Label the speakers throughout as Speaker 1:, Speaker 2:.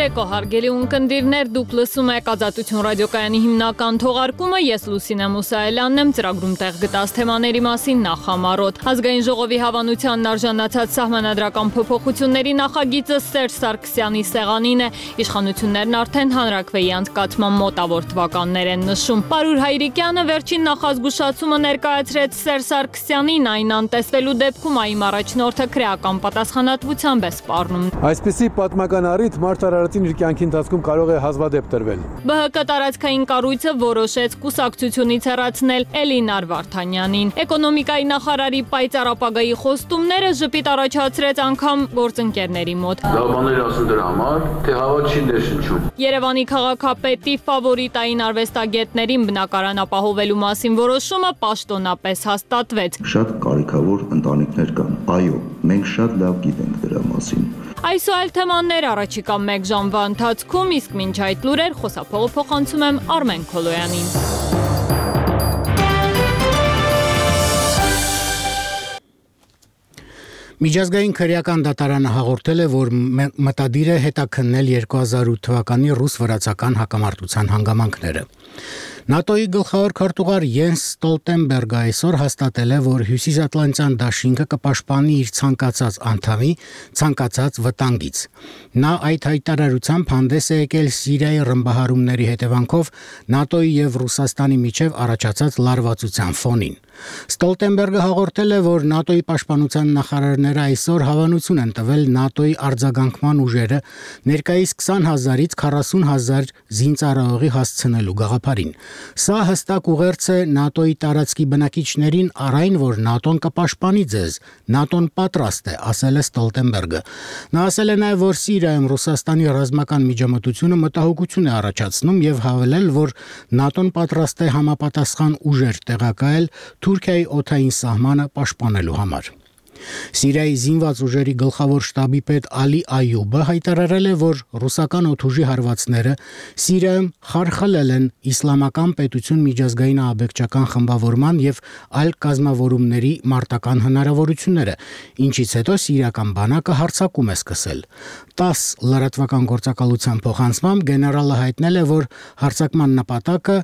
Speaker 1: Բարեկո հարգելի ունկնդիրներ, դուք լսում եք Ազատություն ռադիոկայանի հիմնական թողարկումը, ես Լուսինե Մուսայելյանն եմ, ծրագրում տեղ գտած թեմաների մասին նախամարոտ։ Ազգային ժողովի հավանությանն արժանացած սահմանադրական փոփոխությունների նախագիծը Սերժ Սարգսյանի սեղանին է, իշխանություններն արդեն հանրաքվեի անցկացման մոտավոր թվականներ են նշում։ Պարուր Հայրիկյանը վերջին նախազգուշացումը ներկայացրեց Սերժ Սարգսյանին, այն անտեսվելու դեպքում ԱԻՄ առաջնորդը քրեական պատասխանատվությամբ է սպառնում։
Speaker 2: Այսպիսի պատմական առիթ մարդ արարածին իր կյանքի ընթացքում կարող է հազվադեպ տրվել։
Speaker 1: ԲՀԿ տարածքային կառույցը որոշեց կուսակցությունից հեռացնել Էլինար Վարդանյանին։ Էկոնոմիկայի նախարարի պայծառ ապագայի խոստումները ժպիտ առաջացրեց անգամ գործընկերների մոտ։
Speaker 3: Բաներ ասում դրա համար, թե հավատ չի ներշնչում։
Speaker 1: Երևանի քաղաքապետի ֆավորիտային արվեստագետներին բնակարան ապահովելու մասին որոշումը պաշտոնապես հաստատվեց։
Speaker 4: Շատ կարիքավոր ընտանիքներ կան։ Այո, մենք շատ լավ գիտենք դրա մասին։
Speaker 1: Այս ու այլ թեմաներ առաջիկա 1 ժամվա ընթացքում, իսկ մինչ այդ լուրեր խոսափողը փոխանցում եմ Արմեն Քոլոյանին։
Speaker 5: Միջազգային քրեական դատարանը հաղորդել է, որ մտադիր է հետաքննել 2008 թվականի ռուս-վրացական հակամարտության հանգամանքները։ ՆԱՏՕ-ի գլխավոր քարտուղար Յենս Ստոլտենբերգը այսօր հաստատել է, որ Հյուսիսատլանտյան դաշինքը կպաշտպանի իր ցանկացած անդամի ցանկացած վտանգից։ Նա այդ հայտարարությամբ հանդես է եկել Սիրիայի ռմբահարումների հետևանքով ՆԱՏՕ-ի եւ Ռուսաստանի միջև առաջացած լարվածության ֆոնին։ Ստոլտենբերգը հաղորդել է, որ ՆԱՏՕ-ի պաշտպանության նախարարները այսօր հավանություն են տվել ՆԱՏՕ-ի արձագանքման ուժերը ներկայիս 20,000-ից 40,000 զինծառայողի հասցնելու գաղափարին։ Սա հստակ ուղերձ է ՆԱՏՕ-ի տարածքի բնակիչներին առ այն, որ ՆԱՏՕ-ն կպաշտպանի ձեզ, ՆԱՏՕ-ն պատրաստ է, ասել է Ստոլտենբերգը։ Նա ասել է նաև, որ Սիրիայում Ռուսաստանի ռազմական միջամտությունը մտահոգություն է առաջացնում եւ հավելել, որ ՆԱՏՕ-ն պատրաստ է համապատասխան ուժեր տեղակայել Թուրքիայի օդային սահմանը պաշտպանելու համար։ Սիրիայի զինված ուժերի գլխավոր շտաբի պետ Ալի Այյուբը հայտարարել է, որ ռուսական օդուժի հարվածները Սիրիայում խարխլել են իսլամական պետություն միջազգային ահաբեկչական խմբավորման եւ այլ կազմավորումների մարտական հնարավորությունները, ինչից հետո սիրիական բանակը հարձակում է սկսել։ 10 լրատվական գործակալության փոխանցմամբ գեներալը հայտնել է, որ հարձակման նպատակը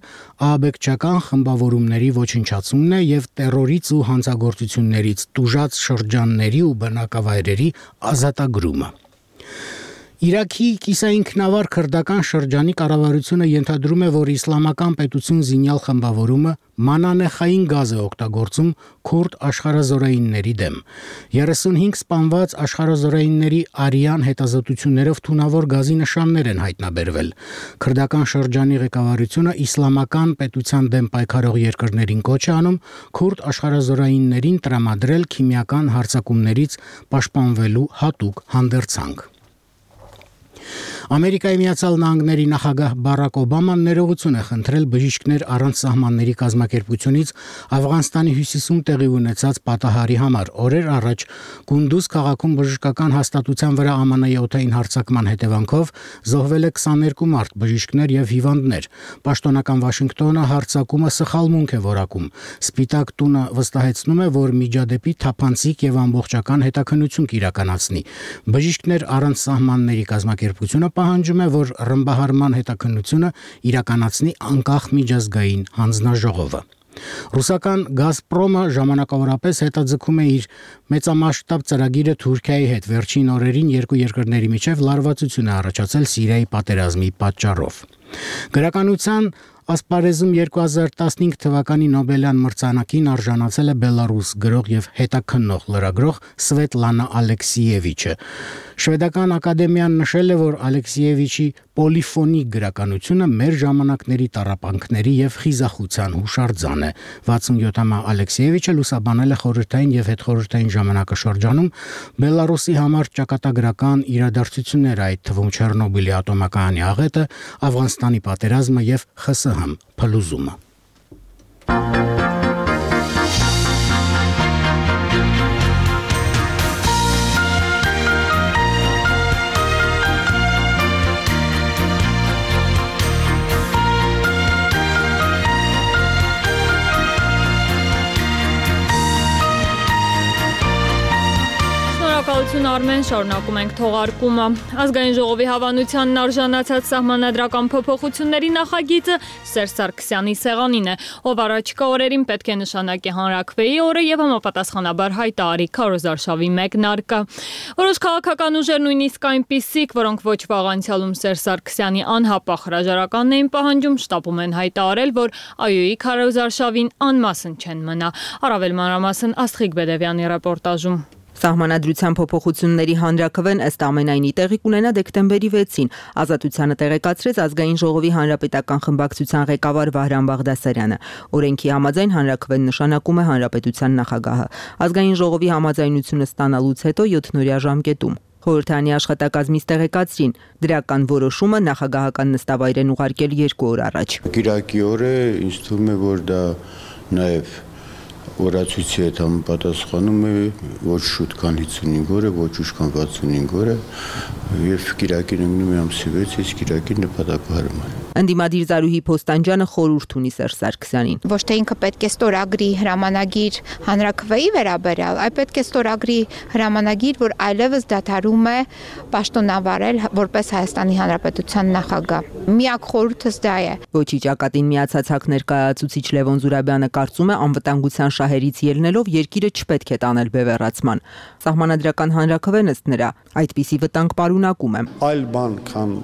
Speaker 5: ահաբեկչական խմբավորումների ոչնչացումն է եւ տերորից ու հանցագործություններից տուժած շրջանների ու բնակավայրերի ազատագրումը։ Իրաքի կիսաինքնավար քրդական շրջանի կառավարությունը ենթադրում է, որ իսլամական պետություն զինյալ խմբավորումը մանանեխային գազ է օգտագործում քուրդ աշխարհազորայինների դեմ։ 35 սպանված աշխարհազորայինների արյան հետազոտություններով թունավոր գազի նշաններ են հայտնաբերվել։ Քրդական շրջանի ղեկավարությունը իսլամական պետության դեմ պայքարող երկրներին կոչ է անում քուրդ աշխարհազորայիններին տրամադրել քիմիական հարձակումներից պաշտպանվելու հատուկ հանդերձանք։ Ամերիկայի Միացյալ Նահանգների նախագահ Բարակ Օբաման ներողություն է խնդրել բժիշկներ առանց սահմանների կազմակերպությունից Աֆղանստանի հյուսիսում տեղի ունեցած պատահարի համար։ Օրեր առաջ Կունդուզ քաղաքում բժշկական հաստատության վրա ԱՄՆ-ի օդային հարձակման հետևանքով զոհվել է 22 մարդ, բժիշկներ եւ հիվանդներ։ Պաշտոնական Վաշինգտոնը հարձակումը սխալմունք է որակում։ Սպիտակ տունը վստահեցնում է, որ միջադեպի թափանցիկ եւ ամբողջական հետաքննություն կիրականացնի։ Բժիշկներ առանց սահմանների կազմակերպությունը պահանջում է, որ ռմբահարման հետաքննությունը իրականացնի անկախ միջազգային հանձնաժողովը։ Ռուսական Գազպրոմը ժամանակավորապես հետաձգում է իր մեծամասշտաբ ծրագիրը Թուրքիայի հետ։ Վերջին օրերին երկու երկրների միջև լարվածություն է առաջացել Սիրիայի պատերազմի պատճառով։ Գրականության ասպարեզում 2015 թվականի Նոբելյան մրցանակին արժանացել է Բելարուս գրող եւ հետաքննող լրագրող Սվետլանա Ալեքսիևիչը։ Շվեդական ակադեմիան նշել է, որ Ալեքսիևիչի պոլիֆոնիկ գրականությունը մեր ժամանակների տառապանքների եւ խիզախության հուշարձան է։ 67-ամյա Ալեքսիևիչը լուսաբանել է խորհրդային եւ հետխորհրդային ժամանակաշրջանում Բելարուսի համար ճակատագրական իրադարձությունները, այդ թվում Չեռնոբիլի ատոմակայանի աղետը, Աֆղանստանի պատերազմը եւ ԽՍՀՄ փլուզումը։
Speaker 1: Ներկայացուն Արմեն, շարունակում ենք թողարկումը։ Ազգային ժողովի հավանությանն արժանացած սահմանադրական փոփոխությունների նախագիծը Սերժ Սարգսյանի սեղանին է, ով առաջիկա օրերին պետք է նշանակի հանրաքվեի օրը եւ համապատասխանաբար հայտարարի քարոզարշավի մեկնարկը։ Որոշ քաղաքական ուժեր նույնիսկ այնպիսիք, որոնք ոչ վաղ անցյալում Սերժ Սարգսյանի անհապաղ հրաժարականն էին պահանջում, շտապում են հայտարարել, որ ԱՅՈ-ի քարոզարշավին անմասն չեն մնա։ Առավել մանրամասն Աստղիկ Բեդևյանի ռեպորտաժում։
Speaker 6: Սահմանադրության փոփոխությունների հանրաքվեն ըստ ամենայնի տեղի կունենա դեկտեմբերի 6-ին, Ազատությանը տեղեկացրեց Ազգային ժողովի հանրապետական խմբակցության ղեկավար Վահրամ Բաղդասարյանը։ Օրենքի համաձայն հանրաքվեն նշանակում է հանրապետության նախագահը։ Ազգային ժողովի համաձայնությունը ստանալուց հետո 7-օրյա ժամկետում խորհրդարանի աշխատակազմից տեղեկացրին, դրական որոշումը նախագահական նստավայր են ուղարկել 2 օր առաջ։
Speaker 7: Կիրակի օրը ինձ թվում է, որ դա նաև օրացույցի հետ համապատասխանում է ոչ շուտ քան 55 օրը, ոչ ուշ քան 65 օրը եւ կիրակին ընկնում է ամսի 6, իսկ կիրակին նպատակահարմար։
Speaker 6: Ընդդիմադիր Զարուհի Փոստանջյանը խորհուրդ ունի Սերժ Սարգսյանին։
Speaker 8: Ոչ թե ինքը պետք է ստորագրի հրամանագիր հանրաքվեի վերաբերյալ, այլ պետք է ստորագրի հրամանագիր, որ այլևս դադարում է պաշտոնավարել որպես Հայաստանի Հանրապետության նախագահ։ Միակ խորհուրդս դա է։
Speaker 6: Ոչի ճակատին միացած ՀԱԿ ներկայացուցիչ Լևոն Զուրաբյանը կարծում է անվտանգության շահերից ելնելով երկիրը չպետք է տանել բևեռացման։ Սահմանադրական հանրաքվեն ըստ նրա այդպիսի վտանգ պարունակում է։
Speaker 9: Այլ բան, քան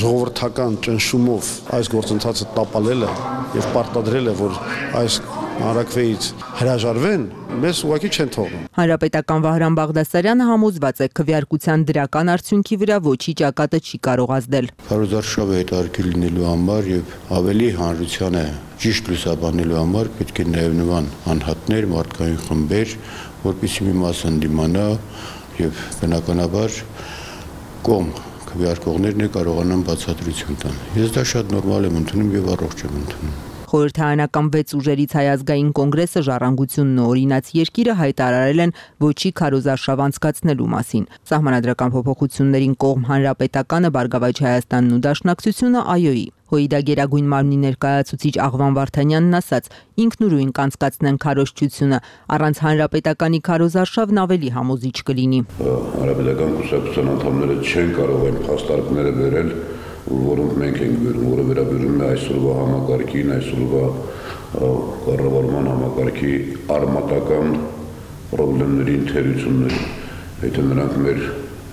Speaker 9: ժողովրդական ճնշումով այս գործընթացը տապալելը եւ պարտադրելը, որ այս հանրաքվեից հրաժարվեն, մեզ ուղղակի չեն թողնում։
Speaker 6: Հանրապետական Վահրամ Բաղդասարյանը համոզված է քվեարկության դրական արդյունքի վրա ոչի ճակատը չի կարող ազդել։
Speaker 7: Քարոզարշավը հետարքի լինելու համար եւ ավելի հանրությանը ճիշտ լուսաբանելու համար պետք է նաեւ նման անհատներ, մարդկային խմբեր, որպեսզի մի մաս ընդդիմանա եւ բնականաբար կողմ քվեարկողներն կարողանան բացատրություն տան։ Ես դա շատ նորմալ եմ ընդունում եւ առողջ եմ ընդունում։
Speaker 6: Խորհրդարանական 6 ուժերից Հայ ազգային կոնգրեսը, Ժառանգությունն ու Օրինաց երկիրը հայտարարել են ոչի քարոզարշավ անցկացնելու մասին։ Սահմանադրական փոփոխություններին կողմ Հանրապետականը, Բարգավաճ Հայաստանն ու Դաշնակցությունը ԱՅՈ-ի։ ՀՅԴ Գերագույն մարմնի ներկայացուցիչ Աղվան Վարդանյանն ասաց. ինքնուրույն կանցկացնեն քարոզչությունը, առանց հանրապետականի քարոզարշավն ավելի համոզիչ կլինի։
Speaker 3: Հանրապետական կուսակցության անդամները չեն կարող այն փաստարկները բերել, որոնք մենք ենք բերում, որը վերաբերում է այսօրվա համակարգին, այսօրվա կառավարման համակարգի արմատական խնդիրներին, թերություններին։ Եթե նրանք մեր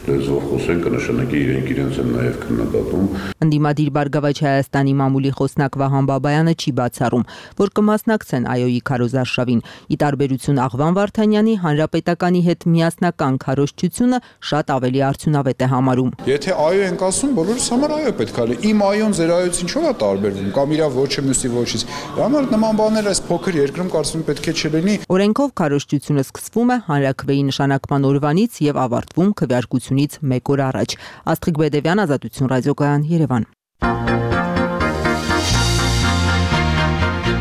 Speaker 3: լեզվով խոսեն, կնշանակի իրենց են նաև քննադատում։
Speaker 6: Ընդդիմադիր Բարգավաճ Հայաստանի մամուլի խոսնակ Վահան Բաբայանը չի բացառում, որ կմասնակցեն ԱՅՈ-ի քարոզարշավին։ Ի տարբերություն Աղվան Վարդանյանի, Հանրապետականի հետ միասնական քարոզչությունը շատ ավելի արդյունավետ է համարում։
Speaker 9: Եթե ԱՅՈ ենք ասում, բոլորս համար ԱՅՈ պետք է լինի։ Իմ ԱՅՈ-ն ձեր ԱՅՈ-ից ինչու է տարբերվում, կամ իր ոչը մյուսի ոչից։ Համար նման բաներ այս փոքր երկրում կարծում պետք է չլինի։
Speaker 6: Օրենքով քարոզչությունը սկսվում է հանրաքվեի նշանակման օրվանից եւ ավարտվում քվեարկությունից 1 օր առաջ։ Աստղիկ Բեդևյան, Ազատություն ռադիոկայան, Երևան։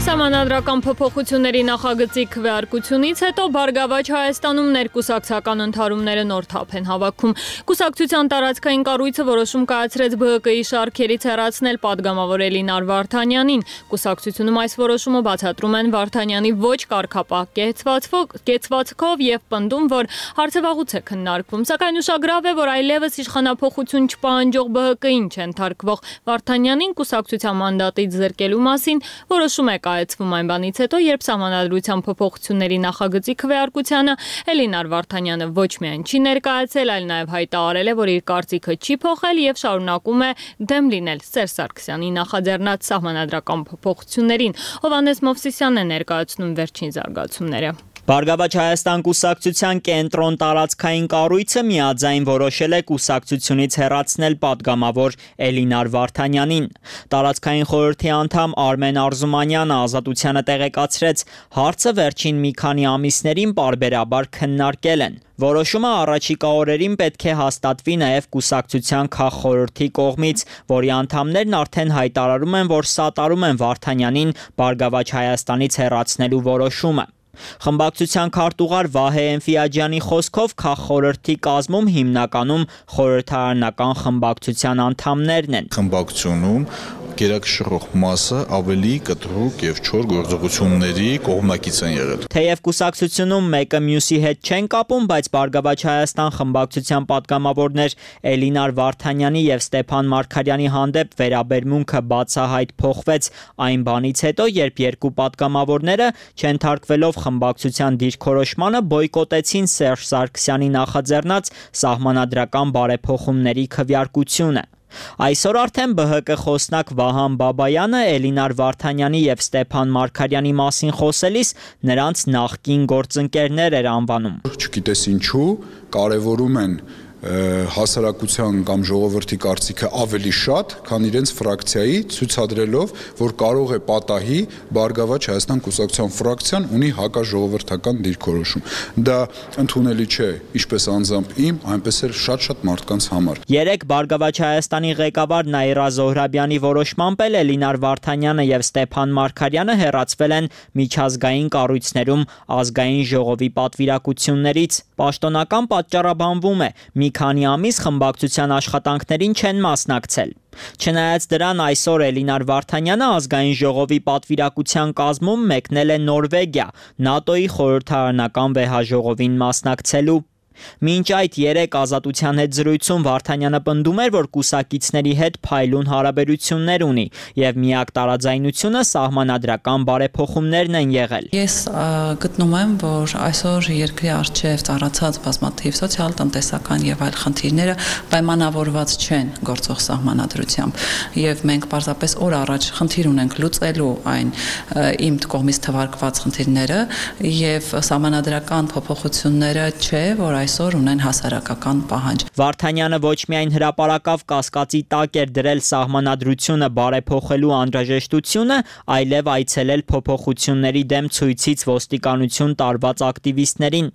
Speaker 1: Սահմանադրական փոփոխությունների նախագծի քվեարկությունից հետո Բարգավաճ Հայաստանում ներկուսակցական ընդհարումները նոր թափ են հավաքում։ Կուսակցության տարածքային կառույցը որոշում կայացրեց ԲՀԿ-ի շարքերից հեռացնել падգամավոր Էլինար Վարդանյանին։ Կուսակցությունում այս որոշումը բացատրում են Վարդանյանի ոչ կարգապահ կեցվածքով եւ պնդում, որ հարցը վաղուց է քննարկվում։ Սակայն ուշագրավ է, որ այլևս իշխանափոխություն չպահանջող ԲՀԿ-ին չընթարկվող Վարդանյանին կուսակցության մանդատից զրկելու մասին որոշում է կայացվում այն բանից հետո, երբ սահմանադրության փոփոխությունների նախագծի քվեարկությանը Էլինար Վարդանյանը ոչ միայն չի ներկայացել, այլ նաև հայտարարել է, որ իր կարծիքը չի փոխել եւ շարունակում է դեմ լինել Սերժ Սարգսյանի նախաձեռնած սահմանադրական փոփոխություններին։ Հովհաննես Մովսիսյանն է ներկայացնում վերջին զարգացումները։
Speaker 10: Բարգավաճ Հայաստան կուսակցության կենտրոն տարածքային կառույցը միաձայն որոշել է կուսակցությունից հեռացնել падգամավոր Էլինար Վարդանյանին։ Տարածքային խորհրդի անդամ Արմեն Արզումանյանը Ազատությանը տեղեկացրեց, հարցը վերջին մի քանի ամիսներին պարբերաբար քննարկել են։ Որոշումը առաջիկա օրերին պետք է հաստատվի նաև կուսակցության քաղխորհրդի կողմից, որի անդամներն արդեն հայտարարում են, որ սատարում են Վարդանյանին Բարգավաճ Հայաստանից հեռացնելու որոշումը։ Խմբակցության քարտուղար Վահե Էնֆիաջյանի խոսքով քաղխորհրդի կազմում հիմնականում խորհրդարանական խմբակցության անդամներն են։
Speaker 11: Խմբակցությունում գերակշռող մասը ավելի կտրուկ եւ չոր գործողությունների կողմնակից են եղել։
Speaker 10: Թեև կուսակցությունում մեկը մյուսի հետ չեն կապում, բայց Բարգավաճ Հայաստան խմբակցության պատգամավորներ Էլինար Վարդանյանի եւ Ստեփան Մարգարյանի հանդեպ վերաբերմունքը բացահայտ փոխվեց այն բանից հետո, երբ երկու պատգամավորները չենթարկվելով խմբակցության դիրքորոշմանը բոյկոտեցին Սերժ Սարգսյանի նախաձեռնած սահմանադրական բարեփոխումների քվեարկությունը։ Այսօր արդեն ԲՀԿ խոսնակ Վահան Բաբայանը Էլինար Վարդանյանի եւ Ստեփան Մարգարյանի մասին խոսելիս նրանց նախկին գործընկերներ էր անվանում։
Speaker 11: Չգիտես ինչու կարևորում են հասարակության կամ ժողովրդի կարծիքը ավելի շատ, քան իրենց ֆրակցիայի, ցույցադրելով, որ կարող է պատահի Բարգավաճ Հայաստան կուսակցության ֆրակցիան ունի հակաժողովրդական դիրքորոշում։ Դա ընդունելի չէ, ինչպես անձամբ իմ, այնպես էլ շատ մարդկանց համար։
Speaker 10: Երեք Բարգավաճ Հայաստանի ղեկավար Նաիրա Զոհրաբյանի որոշմամբ էլ Էլինար Վարդանյանը եւ Ստեփան Մարգարյանը հեռացվել են միջազգային կառույցներում ազգային ժողովի պատվիրակություններից։ Պաշտոնական պատճառաբանվում է՝ մի քանի ամիս խմբակցության աշխատանքներին չեն մասնակցել։ Չնայած դրան այսօր Էլինար Վարդանյանը ազգային ժողովի պատվիրակության կազմում մեկնել է Նորվեգիա, ՆԱՏՕ-ի խորհրդարանական վեհաժողովին մասնակցելու։ Մինչ այդ երեք Ազատության հետ զրույցում Վարդանյանը պնդում էր, որ կուսակիցների հետ փայլուն հարաբերություններ ունի եւ միակ տարաձայնությունը սահմանադրական բարեփոխումներն են եղել։
Speaker 12: Ես գտնում եմ, որ այսօր երկրի առջև ծառացած բազմաթիվ սոցիալ-տնտեսական եւ այլ խնդիրները պայմանավորված չեն գործող սահմանադրությամբ եւ մենք պարզապես օր առաջ խնդիր ունենք լուծելու այն իմ կողմից թվարկված խնդիրները եւ սահմանադրական փոփոխությունները չէ, որ այսօր ունեն հասարակական պահանջ։
Speaker 10: Վարդանյանը ոչ միայն հրապարակավ կասկածի տակ էր դրել սահմանադրությունը բարեփոխելու անհրաժեշտությունը, այլև այցելել փոփոխությունների դեմ ցույցից ոստիկանություն տարված ակտիվիստներին։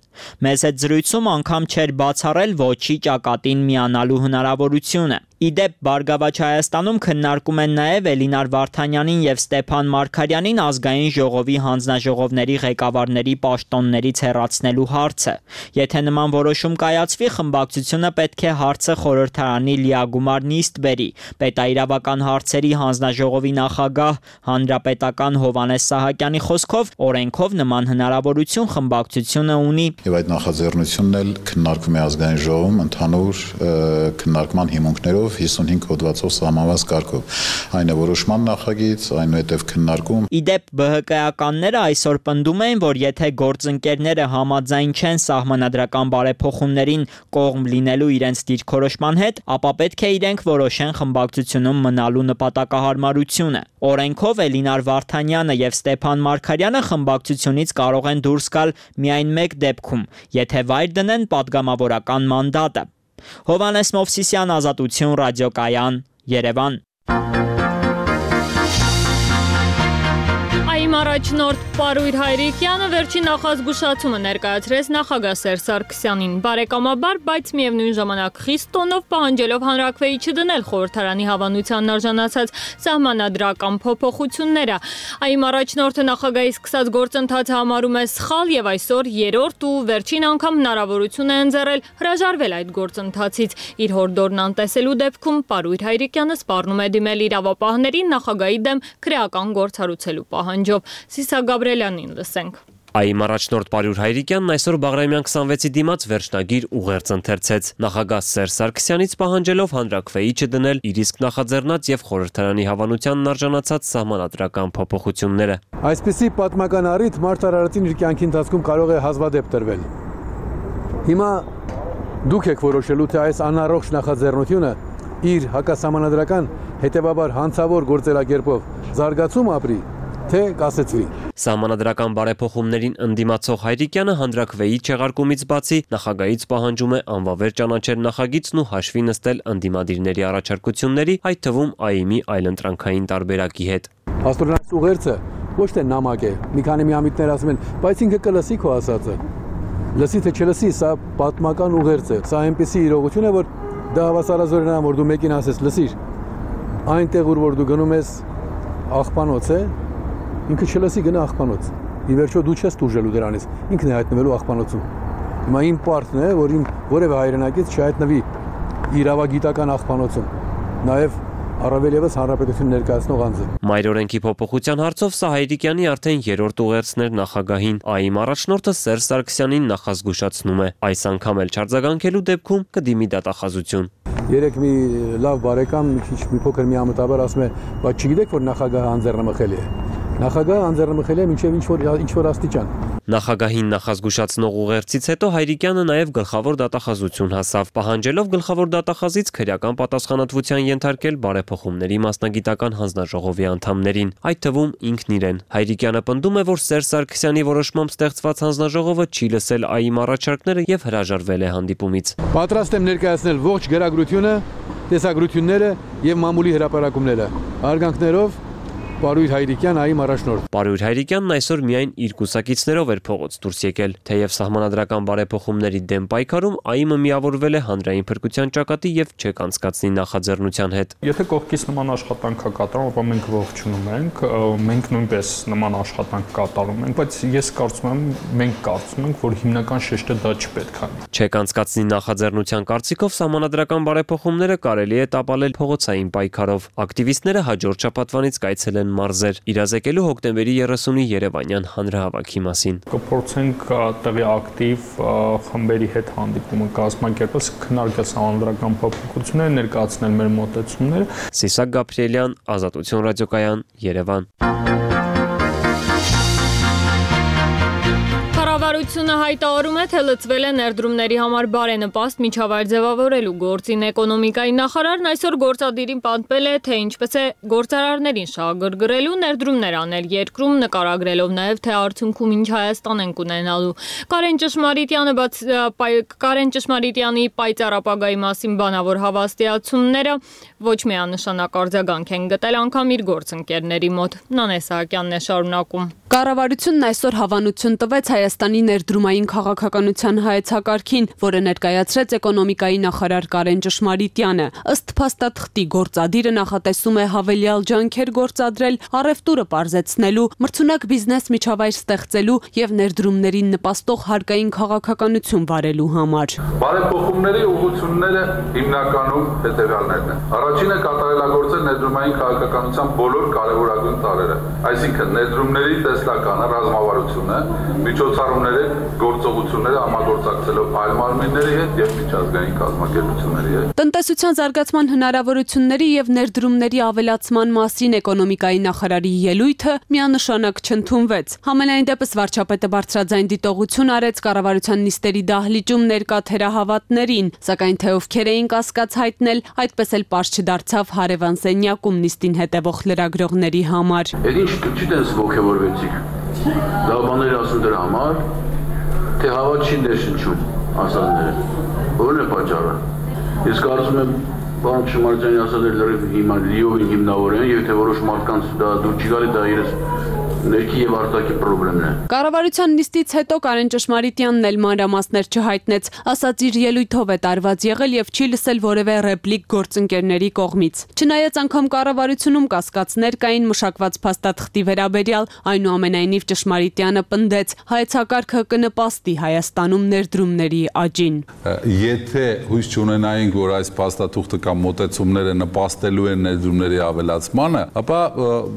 Speaker 10: Մեզ հետ զրույցում անգամ չէր բացառել ոչի ճակատին միանալու հնարավորությունը։ Իդեպ Բարգավաճ Հայաստանում քննարկում են նաև Էլինար Վարդանյանին եւ Ստեփան Մարգարյանին ազգային ժողովի հանձնաժողովների ղեկավարների պաշտոններից հեռացնելու հարցը։ Եթե նման որոշում կայացվի, խմբակցությունը պետք է հարցը խորհրդարանի լիագումար նիստ բերի։ Պետաիրավական հարցերի հանձնաժողովի նախագահ հանրապետական Հովհաննես Սահակյանի խոսքով օրենքով նման հնարավորություն խմբակցությունը ունի։
Speaker 11: Եվ այդ նախաձեռնությունն էլ քննարկվում է ազգային ժողովում ընդհանուր քննարկման հիմունքներով 55 հոդվածով սահմանված կարգով։ Այն է որոշման նախագիծ, այնուհետև քննարկում։
Speaker 10: Իդեպ ԲՀԿ-ականները այսօր պնդում են, որ եթե գործընկերները համաձայն չեն սահմանադրական բարեփոխումներին կողմ լինելու իրենց դիրքորոշման հետ, ապա պետք է իրենք որոշեն խմբակցությունում մնալու նպատակահարմարությունը։ Օրենքով Էլինար Վարդանյանը եւ Ստեփան Մարգարյանը խմբակցությունից կարող են դուրս գալ միայն մեկ դեպքում, եթե վայր դնեն պատգամավորական մանդատը։ Հովհաննես Մովսիսյան, Ազատություն, ռադիոկայան, Երևան։
Speaker 1: Այմ առաջնորդ Պարույր Հայրիկյանը վերջին նախազգուշացումը ներկայացրեց նախագահ Սերժ Սարգսյանին բարեկամաբար, բայց միևնույն ժամանակ խիստ տոնով պահանջելով հանրաքվեի չդնել խորհրդարանի հավանությանն արժանացած սահմանադրական փոփոխությունները։ Այմ առաջնորդը նախագահի սկսած գործընթացը համարում է սխալ եւ այսօր երրորդ ու վերջին անգամ հնարավորություն է ընձեռել հրաժարվել այդ գործընթացից։ Իր հորդորն անտեսելու դեպքում Պարույր Հայրիկյանը սպառնում է դիմել իրավապահներին նախագահի դեմ քրեական գործ հարուցելու պահանջով։ Սիսա Գաբրելյանին լսենք։
Speaker 13: Այմ առաջնորդ Պարույր Հայրիկյանն այսօր Բաղրամյան 26-ի դիմաց վերջնագիր ուղերձ ընթերցեց։ Նախագահ Սերժ Սարգսյանից պահանջելով հանրաքվեի չդնել իր իսկ նախաձեռնած եւ խորհրդարանի հավանությանն արժանացած սահմանադրական փոփոխությունները։
Speaker 2: Այսպիսի պատմական առիթ մարտարարածին իր կյանքի ընթացքում կարող է հազվադեպ տրվել։ Հիմա դուք եք որոշելու, թե այս անառողջ նախաձեռնությունը իր հակասահմանադրական հետևաբար հանցավոր գործելակերպով զարգացում ապրի, թե կասեցվի։
Speaker 13: Սահմանադրական բարեփոխումներին ընդդիմացող Հայրիկյանը հանրաքվեի չեղարկումից բացի նախագահից պահանջում է անվավեր ճանաչել նախագիծն ու հաշվի նստել ընդդիմադիրների առաջարկությունների, այդ թվում ԱԻՄ-ի այլընտրանքային տարբերակի հետ։
Speaker 2: Աստորնաց ուղերձը ոչ թե նամակ է, մի քանի միամիտներ ասում են, բայց ինքը կլսի քո ասածը։ Լսի թե չլսի, սա պատմական ուղերձ է։ Սա այնպիսի իրողություն է, որ դա հավասարազորն է, որ դու մեկին ասես, լսիր, այնտեղ որ դու գնում ես աղբանոց է, ինքը չլսի գնա աղբանոց։ Ի վերջո դու չես դուրժելու դրանից, ինքն է հայտնվելու աղբանոցում։ Հիմա իմ պարտն է, որ իմ որևէ հայրենակից չհայտնվի իրավագիտական աղբանոցում։ Նաև առավել եւս հանրապետություն ներկայացնող անձը։
Speaker 13: Մայրօրենքի փոփոխության հարցով սա Հայրիկյանի արդեն երրորդ ուղերձն էր նախագահին։ ԱԻ-մ առաջնորդը Սերժ Սարգսյանին նախազգուշացնում է, այս անգամ էլ չարձագանքելու դեպքում կդիմի դատախազություն։
Speaker 2: Երեք մի լավ բարեկամ մի փոքր միամտաբար ասում է, բայց չգիտեք որ նախագահը անձեռնմխելի է։ Նախագահը անձեռնմխելի է մինչև ինչ որ աստիճան։
Speaker 13: Նախագահին նախազգուշացնող ուղերձից հետո Հայրիկյանը նաև գլխավոր դատախազություն հասավ, պահանջելով գլխավոր դատախազից քրեական պատասխանատվության ենթարկել բարեփոխումների մասնագիտական հանձնաժողովի անդամներին, այդ թվում ինքն իրեն։ Հայրիկյանը պնդում է, որ Սերժ Սարգսյանի որոշմամբ ստեղծված հանձնաժողովը չի լսել ԱԻ-մ առաջարկները եւ հրաժարվել է հանդիպումից։
Speaker 2: Պատրաստ եմ ներկայացնել ողջ գրագրությունը, տեսագրությունները եւ մամուլի հրապարակումները։ Արգանքներով Պարույր Հայրիկյան ԱԻ-մ առաջնորդ։
Speaker 13: Պարույր Հայրիկյանն այսօր միայն իր կուսակիցներով էր փողոց դուրս եկել, թեև սահմանադրական բարեփոխումների դեմ պայքարում ԱԻ-ը միավորվել է հանրային փրկության ճակատի եւ չեք անցկացնի նախաձեռնության հետ։
Speaker 14: Եթե կողքից նման աշխատանք կա կատարում, ապա մենք ողջունում ենք, մենք նույնպես նման աշխատանք կատարում ենք, բայց ես կարծում եմ, մենք կարծում ենք, որ հիմնական շեշտը դա չպետք է։
Speaker 13: Չեք անցկացնի նախաձեռնության կարծիքով սահմանադրական բարեփոխումները կարելի է տապալել փողոցային պայքարով։ Ակտիվիստները հաջորդ շաբաթվանից կայցելեն մարզեր, իրազեկելու հոկտեմբերի 30-ի Երևանյան հանրահավաքի մասին։
Speaker 14: Կփորձենք տեղի ակտիվ խմբերի հետ հանդիպումը կազմակերպել, քննարկել սահմանադրական փոփոխությունները, ներկայացնել մեր մոտեցումները։
Speaker 13: Սիսակ Գաբրիելյան, Ազատություն ռադիոկայան, Երևան։
Speaker 1: Կառավարությունը հայտարարում է, թե լծվել է ներդրումների համար բարենպաստ միջավայր ձևավորելու գործին։ Էկոնոմիկայի նախարարն այսօր գործադիրին պատմել է, թե ինչպես է գործարարներին շահագրգռելու ներդրումներ անել երկրում, նկարագրելով նաև, թե արդյունքում ինչ Հայաստան են կունենալու։ Կարեն Ճշմարիտյանի պայծառ ապագայի մասին բանավոր հավաստիացումները ոչ միանշանակ արձագանք են գտել անգամ իր գործընկերների մոտ։ Նանե Սահակյանն է շարունակում։
Speaker 15: Կառավարությունն այսօր հավանություն տվեց Հայաստանի ներդրումային քաղաքականության հայեցակարգին, որը ներկայացրեց էկոնոմիկայի նախարար Կարեն Ճշմարիտյանը։ Ըստ փաստաթղթի գործադիրը նախատեսում է հավելյալ ջանքեր գործադրել առևտուրը պարզեցնելու, մրցունակ բիզնես միջավայր ստեղծելու եւ ներդրումներին նպաստող հարկային քաղաքականություն վարելու համար։
Speaker 16: Բարեփոխումների ուղղությունները հիմնականում հետևյալներն են։ Առաջինը կատարելագործել ներդրումային քաղաքականության բոլոր կարևորագույն տարրերը, այսինքն ներդրումների տեսլականը, ռազմավարությունը, միջոցառումների գործողությունները համագործակցելով այլ մարմինների հետ եւ միջազգային կազմակերպությունների հետ։
Speaker 15: Տնտեսության զարգացման հնարավորությունների եւ ներդրումների ավելացման մասին էկոնոմիկայի նախարարի ելույթը միանշանակ չընդունվեց։ Համենայն դեպս վարչապետը բարձրաձայն դիտողություն արեց կառավարության նիստերի դահլիճում ներկա թերահավատներին, սակայն թե ովքեր էին կասկած հայտնել, այդպես էլ պարզ չդարձավ հարևան սենյակում նիստին հետևող լրագրողների համար։
Speaker 16: Ինչ չտես ողջավորվեցիք։ Դա բաներ ասում դրա համար, թե հավատ չի ներշնչում ասածները։ Որն է պատճառը։ Ես կարծում եմ, պարոն Ճշմարիտյանի ասածները հիմնավոր են, եւ թե որոշ մարդկանց դա դուր չի գալի, դա իրենց ներքի եւ արտաքին խնդիրն է։
Speaker 15: Կառավարության նիստից հետո Կարեն Ճշմարիտյանն էլ մանրամասներ չհայտնեց, ասաց իր ելույթով է տարված եղել եւ չի լսել որևէ ռեպլիկ գործընկերների կողմից։ Չնայած անգամ կառավարությունում կասկածներ կային մշակված փաստաթղթի վերաբերյալ, այնուամենայնիվ Ճշմարիտյանը պնդեց, հայեցակարգը կնպաստի Հայաստանում ներդրումների աճին։
Speaker 17: Եթե հույս չունենայինք, որ այս փաստաթուղթը կամ մոտեցումները նպաստելու են ներդրումների ավելացմանը, ապա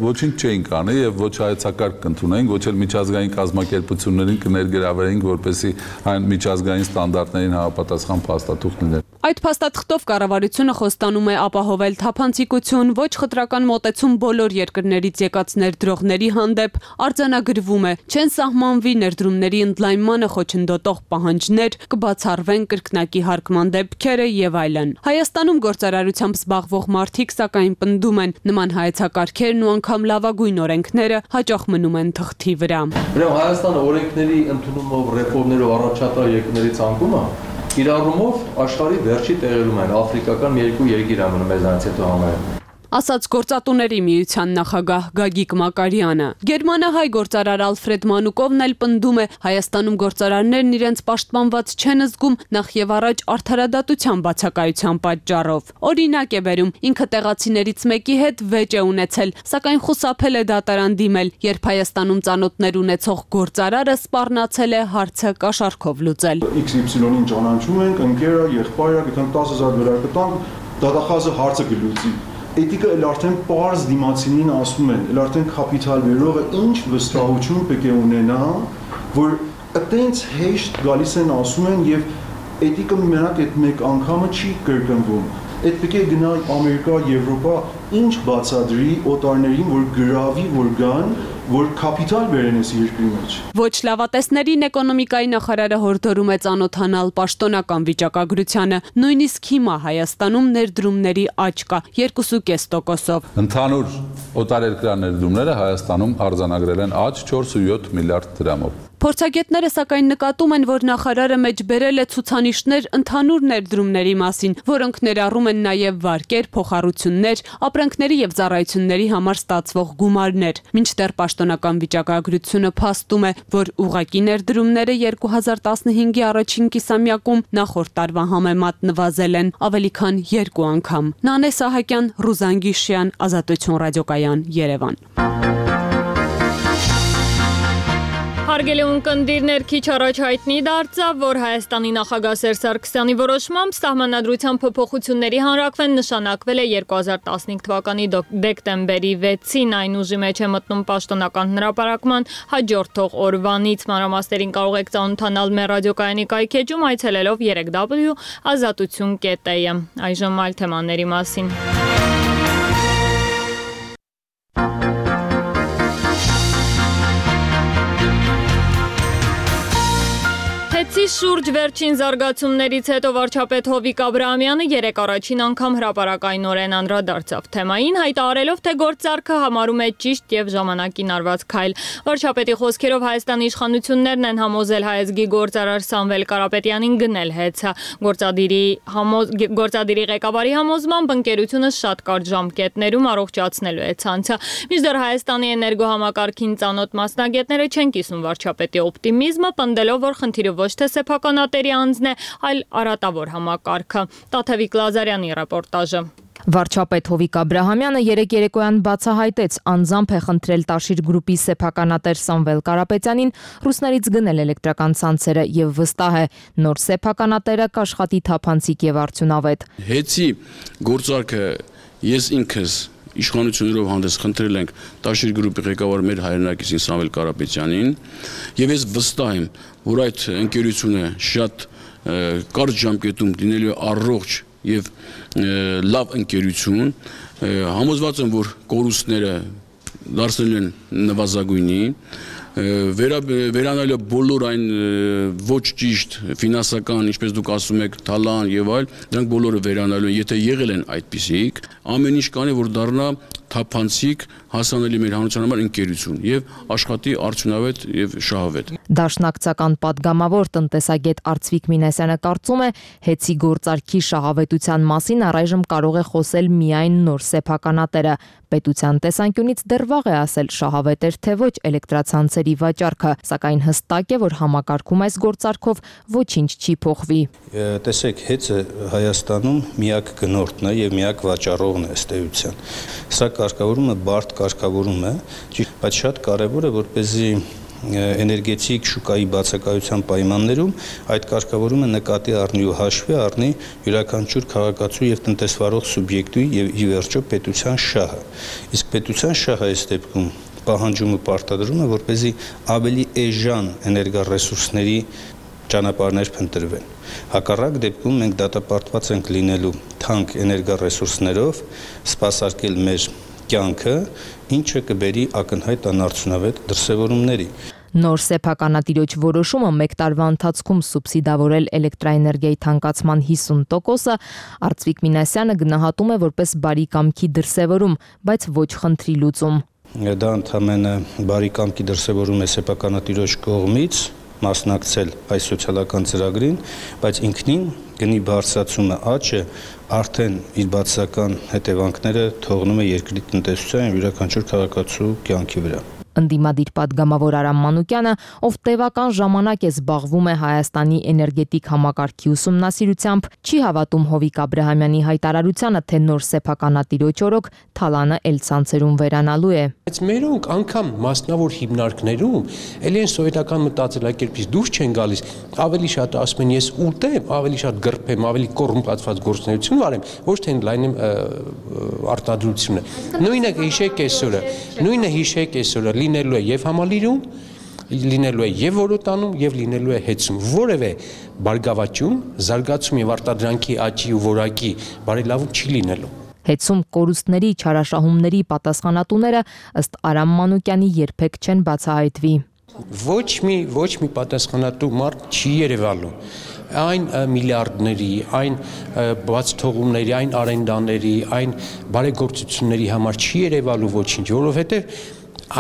Speaker 17: ոչինչ չէինք անի եւ ոչ հայեցակարգ կընդունենք, ոչ էլ միջազգային կազմակերպություններին կներգրավենք, որպեսզի այն միջազգային ստանդարտներին համապատասխան փաստաթուղթ լիներ։
Speaker 15: Այդ փաստաթղթով կառավարությունը խոստանում է ապահովել թափանցիկություն, ոչ խտրական մոտեցում բոլոր երկրներից եկած ներդրողների հանդեպ, արձանագրվում է, չեն սահմանվի ներդրումների ընդլայնմանը խոչընդոտող պահանջներ, կբացառվեն կրկնակի հարկման դեպքերը եւ այլն։ Հայաստանում գործարարությամբ զբաղվող մարդիկ սակայն պնդում են, նման հայեցակարգերն ու անգամ լավագույն օրենքները հաճախ մնում են թղթի վրա։
Speaker 18: Ուրեմն Հայաստանը օրենքների ընդունումով, ռեֆորմներով առաջատար երկրների ցանկումը իր առումով աշխարհի վերջի տեղերում են, աֆրիկական մի երկու երկիր ամնում մեզանից հետո համարում։
Speaker 15: Ասաց գործատուների միության նախագահ Գագիկ Մակարյանը։ Գերմանահայ գործարար Ալֆրեդ Մանուկովն էլ պնդում է, Հայաստանում գործարարներն իրենց պաշտպանված չեն զգում նախ եւ առաջ արդարադատության բացակայության պատճառով։ Օրինակ է բերում, ինքը տեղացիներից մեկի հետ վեճ է ունեցել, սակայն խուսափել է դատարան դիմել, երբ Հայաստանում ծանոթներ ունեցող գործարարը սպառնացել է հարցը կաշառքով լուծել։
Speaker 19: XY-ին ճանաչում ենք, ընկերը, եղբայրը, գտանք 10,000 դոլար կտանք, դատախազը հարցը կլուծի։ Էթիկը էլ արդեն պարզ դիմացինին ասում են, էլ արդեն կապիտալ վերողը ինչ վստահություն պետք է ունենա, որ այտենց հեշտ գալիս են ասում են եւ էթիկը մենակ այդ մեկ անգամը չի կրկնվում։ Այդ պետք է գնա Ամերիկա, Եվրոպա, ինչ բացադրի օտարներին, որ գրավի, որ գան, որ կապիտալ բերեն այս երկրի մեջ։
Speaker 15: Ոչ լավատեսներին էկոնոմիկայի նախարարը հորդորում է ծանոթանալ պաշտոնական վիճակագրությանը, նույնիսկ հիմա Հայաստանում ներդրումների աճ կա 2.5%-ով։
Speaker 17: Ընդհանուր օտարերկրյա ներդրումները Հայաստանում արձանագրել են աճ 4.7 միլիարդ դրամով։
Speaker 15: Փորձագետները սակայն նկատում են, որ նախարարը մեջ բերել է ցուցանիշներ ընդհանուր ներդրումների մասին, որոնք ներառում են նաև վարկեր, փոխառություններ, ապրանքների եւ ծառայությունների համար ստացվող գումարներ։ Մինչդեռ պաշտոնական վիճակագրությունը փաստում է, որ ուղղակի ներդրումները 2015-ի առաջին կիսամյակում նախորդ տարվա համեմատ նվազել են ավելի քան 2 անգամ։ Նանե Սահակյան, Ռուզան Գիշյան, Ազատություն ռադիոկայան, Երևան։
Speaker 1: Հարգելի ունկնդիրներ, քիչ առաջ հայտնի դարձավ, որ Հայաստանի նախագահ Սերժ Սարգսյանի որոշմամբ սահմանադրության փոփոխությունների հանրակրվեն նշանակվել է 2015 թվականի դեկտեմբերի 6-ին, այն ուժի մեջ է մտնում պաշտոնական հրապարակման հաջորդող օրվանից։ Մանրամասներին կարող եք ծանոթանալ մեր ռադիոկայանի կայքեջում այցելելով www.azatutun.am։ Այժմ այլ թեմաների մասին։ Հեցի շուրջ վերջին զարգացումներից հետո վարչապետ Հովիկ Աբրահամյանը երեկ առաջին անգամ հրապարակայնորեն անդրադարձավ թեմային, հայտարարելով, թե գործարքը համարում է ճիշտ եւ ժամանակին արված քայլ։ Վարչապետի խոսքերով Հայաստանի իշխանություններն են համոզել հայազգի գործարար Սամվել Կարապետյանին գնել հեծը։ Գործադիրի ղեկավարի համոզմամբ ընկերությունը շատ կարճ ժամկետներում առողջացնելու է ցանցը։ Մինչդեռ Հայաստանի էներգոհամակարգին ծանոթ մասնագետները չեն կիսում վարչապետի օպտիմիզմը, պնդելով, որ խնդիրը ոչ թե սեփականատերի անձն է, այլ արատավոր համակարգը։ Տաթևիկ Լազարյանի ռեպորտաժը։
Speaker 20: Վարչապետ Հովիկ Աբրահամյանը երեկ երեկոյան բացահայտեց, անձամբ է խնդրել Տաշիր գրուպի սեփականատեր Սամվել Կարապետյանին ռուսներից գնել էլեկտրական ցանցերը եւ վստահ է, նոր սեփականատերը կաշխատի թափանցիկ եւ արդյունավետ։
Speaker 16: Հեցի գործարքը ես ինքս իշխանություններով հանդես խնդրել ենք Տաշիր գրուպի ղեկավար մեր հայրենակիցին Սամվել Կարապետյանին եւ ես վստահ եմ, որ այդ ընկերությունը շատ կարճ ժամկետում լինելու առողջ եւ լավ ընկերություն, համոզված եմ, որ կորուստները դարձել են նվազագույնի, վերանալու բոլոր այն ոչ ճիշտ ֆինանսական, ինչպես դուք ասում եք, թալան եւ այլ, դրանք բոլորը վերանալու են, եթե եղել են այդպիսիք, ամեն ինչ կանի, որ դառնա թափանցիկ հասանելի մեր հանրության համար ընկերություն եւ աշխատի արդյունավետ եւ շահավետ։
Speaker 20: Դաշնակցական падգամավոր տնտեսագետ Արծվիկ Մինասյանը կարծում է, հեցի գործարքի շահավետության մասին առայժմ կարող է խոսել միայն նոր սեփականատերը։ Պետության տեսանկյունից դեռ վաղ է ասել շահավետ էր թե ոչ էլեկտրացանցերի վաճառքը, սակայն հստակ է, որ համակարգում այս գործարքով ոչինչ չի փոխվի։
Speaker 21: Տեսեք, հեցը Հայաստանում միակ գնորդն է եւ միակ վաճառողն է ըստ էության։ Սա կարգավորումը բարդ կարգավորում է, բայց շատ կարևոր է, որպեսզի էներգետիկ շուկայի բացակայության պայմաններում այդ կարգավորումը նկատի առնի ու հաշվի առնի յուրաքանչյուր քաղաքացու եւ տնտեսվարող սուբյեկտի եւ ի վերջո պետության շահը։ Իսկ պետության շահը այս դեպքում պահանջում ու պարտադրում է, որպեսզի ավելի էժան էներգառեսուրսների ճանապարհներ փնտրվեն։ Հակառակ դեպքում մենք դատապարտված ենք լինելու թանկ էներգառեսուրսներով սպասարկել մեր կյանքը, ինչը կբերի ակնհայտ անարդյունավետ դրսևորումների։
Speaker 20: Նոր սեփականատիրոջ որոշումը մեկ տարվա ընթացքում սուբսիդավորել էլեկտրաէներգիայի թանկացման 50%-ը Արծվիկ Մինասյանը գնահատում է որպես բարի կամքի դրսևորում, բայց ոչ խնդրի լուծում։
Speaker 21: Դա ընդհանրապես բարի կամքի դրսևորում է սեփականատիրոջ կողմից մասնակցել այս սոցիալական ծրագրին, բայց ինքնին գնի բարձրացումը աճը արդեն իր բացասական հետևանքները թողնում է երկրի տնտեսության եւ յուրաքանչյուր քաղաքացու կյանքի վրա։
Speaker 20: Ընդդիմադիր պատգամավոր Արամ Մանուկյանը, ով տևական ժամանակ է զբաղվում է Հայաստանի էներգետիկ համակարգի ուսումնասիրությամբ, չի հավատում Հովիկ Աբրահամյանի հայտարարությանը, թե նոր սեփականատիրոջ օրոք թալանը էլ ցանցերում վերանալու է։
Speaker 4: Բայց մերոնք անգամ մասնավոր հիմնարկներում ել են սովետական մտածելակերպից դուրս չեն գալիս, ավելի շատ ասում են ես ուտեմ, ավելի շատ գրփեմ, ավելի կոռումպացված գործունեություն վարեմ, ոչ թե լայնեմ արտադրությունը։ Նույնը հիշեք այսօրը լինելու է եւ համալիրում, լինելու է եւ որոտանում եւ լինելու է հեծում։ Որևէ բարգավաճում, զարգացում եւ արտադրանքի աճի ու որակի բարելավում չի լինելու։
Speaker 20: Հեծում կորուստների, չարաշահումների պատասխանատուները ըստ Արամ Մանուկյանի երբեք չեն բացահայտվի։
Speaker 4: Ոչ մի պատասխանատու մարդ չի երևալու։ Այն միլիարդների, այն բաց թողումների, այն արենդաների, այն բարեգործությունների համար չի երևալու ոչինչ, որովհետեւ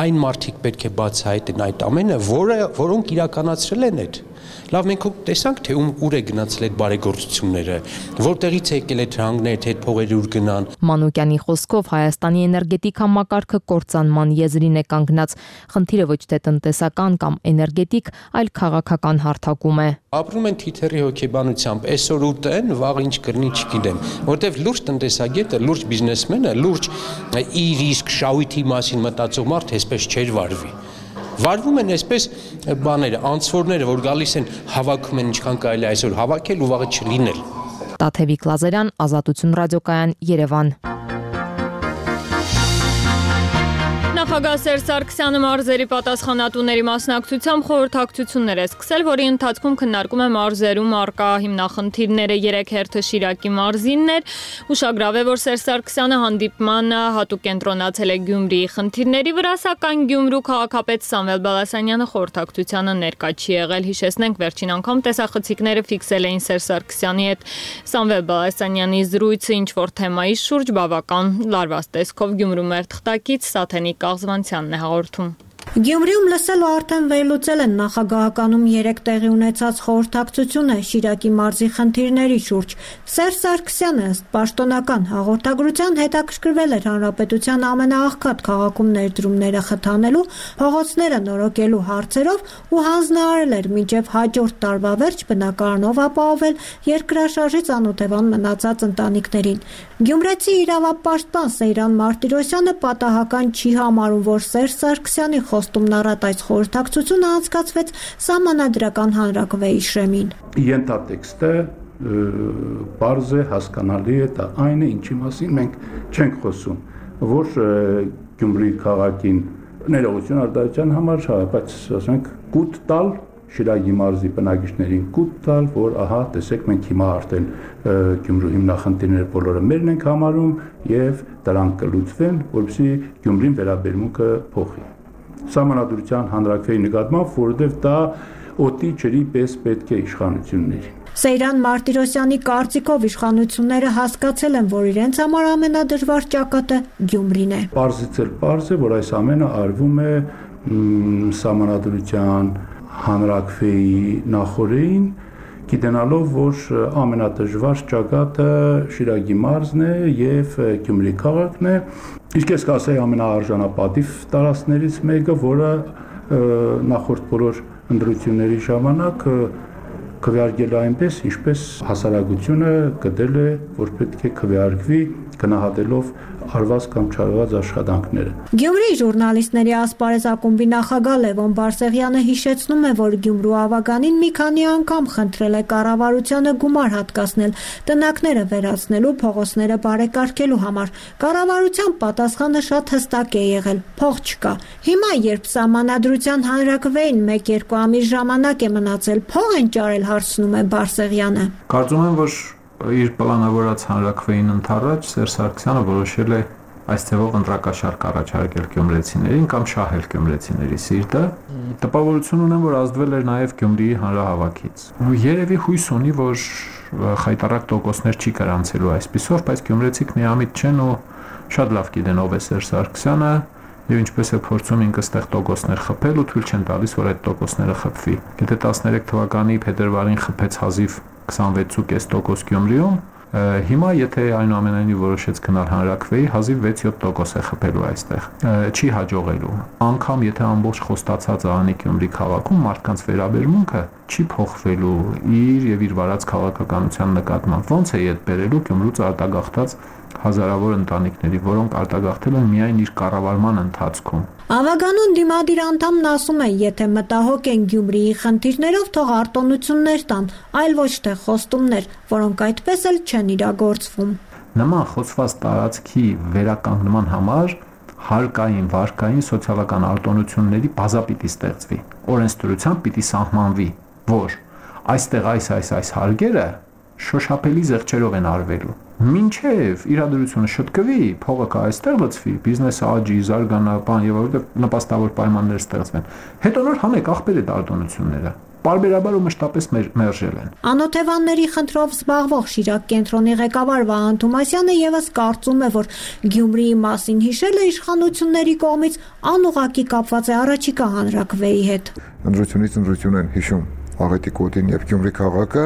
Speaker 4: այն մարդիկ պետք է բացահայտեն այդ ամենը, որոնք իրականացրել են այդ։ Լավ, մենք տեսանք, թե ուր է գնացել այդ բարեգործությունները, որտեղից է եկել այդ հանգները, թե այդ փողերը ուր գնան։
Speaker 20: Մանուկյանի խոսքով Հայաստանի էներգետիկ համակարգը կործանման եզրին է կանգնած։ Խնդիրը ոչ թե տնտեսական կամ էներգետիկ, այլ քաղաքական հարթակում է։
Speaker 4: Ապրում են թիթեռի հոգեբանությամբ, այսօր ուտեն, վաղ ինչ կրնի չգիտեմ, որտեվ լուրջ տնտեսագետը, լուրջ բիզնեսմենը, լուրջ իր իսկ շահույթի մասին մտածող մարդ այսպես չէր վարվի։ Վարվում են այսպես բաները, անցորդները, որ գալիս են, հավաքում են ինչքան կարելի այսօր հավաքել ու վաղը չլինել։
Speaker 20: Տաթևիկ Լազարյան, Ազատություն ռադիոկայան, Երևան։
Speaker 1: Նախագահ Սերժ Սարգսյանը մարզերի պատասխանատուների մասնակցությամբ խորհրդակցություններ է սկսել, որի ընթացքում քննարկում է մարզերում առկա հիմնախնդիրները։ 3 հերթը Շիրակի մարզինն էր։ Ուշագրավ է, որ Սերժ Սարգսյանը հանդիպմանը հատուկ կենտրոնացել է Գյումրիի խնդիրների վրա, սակայն Գյումրու քաղաքապետ Սամվել Բալասանյանը խորհրդակցությանը ներկա չի եղել։ Հիշեցնենք, վերջին անգամ տեսախցիկները ֆիքսել էին Սերժ Սարգսյանի հետ Սամվել Բալասանյանի զրույցը ինչ-որ թեմայի շուրջ բավական լարված տեսքով Գյումրու մեր թղթակից Սաթենիկ Աղզվանցյանն է հաղորդում։
Speaker 22: Գյումրիում լսել ու արդեն վերլուծել են նախագահականում 3 տեղի ունեցած խորհրդակցությունը Շիրակի մարզի խնդիրների շուրջ։ Սերժ Սարգսյանը ըստ պաշտոնական հաղորդագրության հետաքրքրվել էր հանրապետության ամենաաղքատ քաղաքում ներդրումները խթանելու, փողոցները նորոգելու հարցերով ու հանձնարարել էր մինչև հաջորդ տարվա վերջ բնակարանով ապահովել երկրաշարժից անօթևան մնացած ընտանիքներին։ Գյումրեցի իրավապաշտպան Սեյրան Մարտիրոսյանը պատահական չի համարում, որ Սերժ Սարգսյանի խոստումն առատ այս խորհրդակցությունը անցկացվեց Սահմանադրական հանրակրվեի շեմին։
Speaker 23: Ենթատեքստը բարձ է, հասկանալի է, դա այն է, ինչի մասին մենք չենք խոսում, որ Գյումրի քաղաքին ներողություն արտադրության համար, բայց ասենք կուտ տալ Շիրակի մարզի բնակիչներին կուտ տալ, որ ահա տեսեք մենք հիմա արդեն Գյումրու հիմնախնդիրները բոլորը մերն ենք համարում եւ դրանք կլուծվեն, որպեսզի Գյումրին վերաբերմունքը փոխի։ Սահմանադրության հանրակրվեի նկատմամբ, որովհետեւ դա օդի ջրի պես պետք է իշխանություններին։
Speaker 22: Սեյրան Մարտիրոսյանի կարծիքով իշխանությունները հասկացել են, որ իրենց համար ամենադժվար ճակատը Գյումրին է։ Պարզից էլ
Speaker 23: պարզ է, որ այս ամենը արվում է Սահմանադրության հանրակրվեի նախորդին, գիտենալով, որ ամենադժվար ճակատը Շիրակի մարզն է եւ Գյումրի քաղաքն է, իսկ ես կասեի ամենաարժանապատիվ տարածքներից մեկը, որը նախորդ բոլոր ընտրությունների ժամանակ քվեարկել այնպես, ինչպես հասարակությունը գտել է, որ պետք է քվեարկվի գնահատելով արված կամ չարված աշխատանքները։
Speaker 22: Գյումրի ժուրնալիստների ասպարեզ ակումբի նախագահ Լևոն Բարսեղյանը հիշեցնում է, որ Գյումրու ավագանին մի քանի անգամ խնդրել է կառավարությանը գումար հատկացնել տնակները վերացնելու, փողոցները բարեկարգելու համար։ Կառավարության պատասխանը շատ հստակ է եղել՝ փող չկա։ Հիմա, երբ Սահմանադրության հանրակրվեին 1-2 ամիս ժամանակ է մնացել, փող են ճարել, հարցնում է Բարսեղյանը։
Speaker 14: Կարծում եմ, որ իր պլանավորած հանրակրվեին ընթառաջ Սերժ Սարգսյանը որոշել է այս ձևով ընտրակաշարք առաջարկել գյումրեցիներին կամ շահել գյումրեցիների սիրտը։ Տպավորություն ունեմ, որ ազդվել էր նաև Գյումրիի հանրահավաքից։ Երևի հույս ունի, որ խայտառակ տոկոսներ չի գրանցելու այսպիսով, բայց գյումրեցիք միամիտ չեն ու շատ լավ գիտեն ով է Սերժ Սարգսյանը եւ ինչպես է փորձում ինքը ստեղ տոկոսներ խփել ու թույլ չեն տալիս, որ այդ տոկոսները խփվի։ Եթե 13 թվականի փետրվարին խփեց հազիվ 26.5% Գյումրիում, Հիմա եթե այնուամենայնիվ որոշեց գնալ հանրաքվեի, հազիվ 6-7% է խփելու այստեղ։ Չի հաջողելու։ Անկամ եթե ամբողջ խոստացած Անի Գյումրի քաղաքում մարդկանց վերաբերմունքը չի փոխվելու իր եւ իր վարած քաղաքականության նկատմամբ, ոնց է իդ բերելու Գյումրուց արտագաղթած հազարավոր ընտանիքների, որոնք արտագաղթել են միայն իր կառավարման ընթացքում։
Speaker 22: Ավագանուն դիմադիր անդամն ասում է, եթե մտահոգ են Գյումրիի խնդիրներով, թող արտոնություններ տան, այլ ոչ թե խոստումներ, որոնք այդպես էլ չեն իրագործվում։
Speaker 14: Նման խոցված տարածքի վերականգնման համար հարկային, վարկային, սոցիալական արտոնությունների բազա պիտի ստեղծվի, օրենսդրությամբ պիտի սահմանվի, որ այստեղ այս հարկերը շոշափելի զեղչերով են արվելու։ Մինչև իրադրությունը շտկվի, փողը կա այստեղ լցվի, բիզնեսը աճի, զարգանա, բան եւ որտեղ նպաստավոր պայմաններ ստեղծվեն։ Հետո նոր հանեք ախպեր այդ արտոնությունները։ Պարբերաբար ու մշտապես մերժել են։
Speaker 22: Անօթևանների խնդրով զբաղվող Շիրակ կենտրոնի ղեկավար Վահան Թումասյանը եւս կարծում է, որ Գյումրիի մասին հիշելը իշխանությունների կողմից անուղղակի կապված է առաջիկա հանրաքվեի հետ։
Speaker 5: Ընդրությունից ընդրություն են հիշում Աղետի կոտին եւ Գյումրի քաղաքը,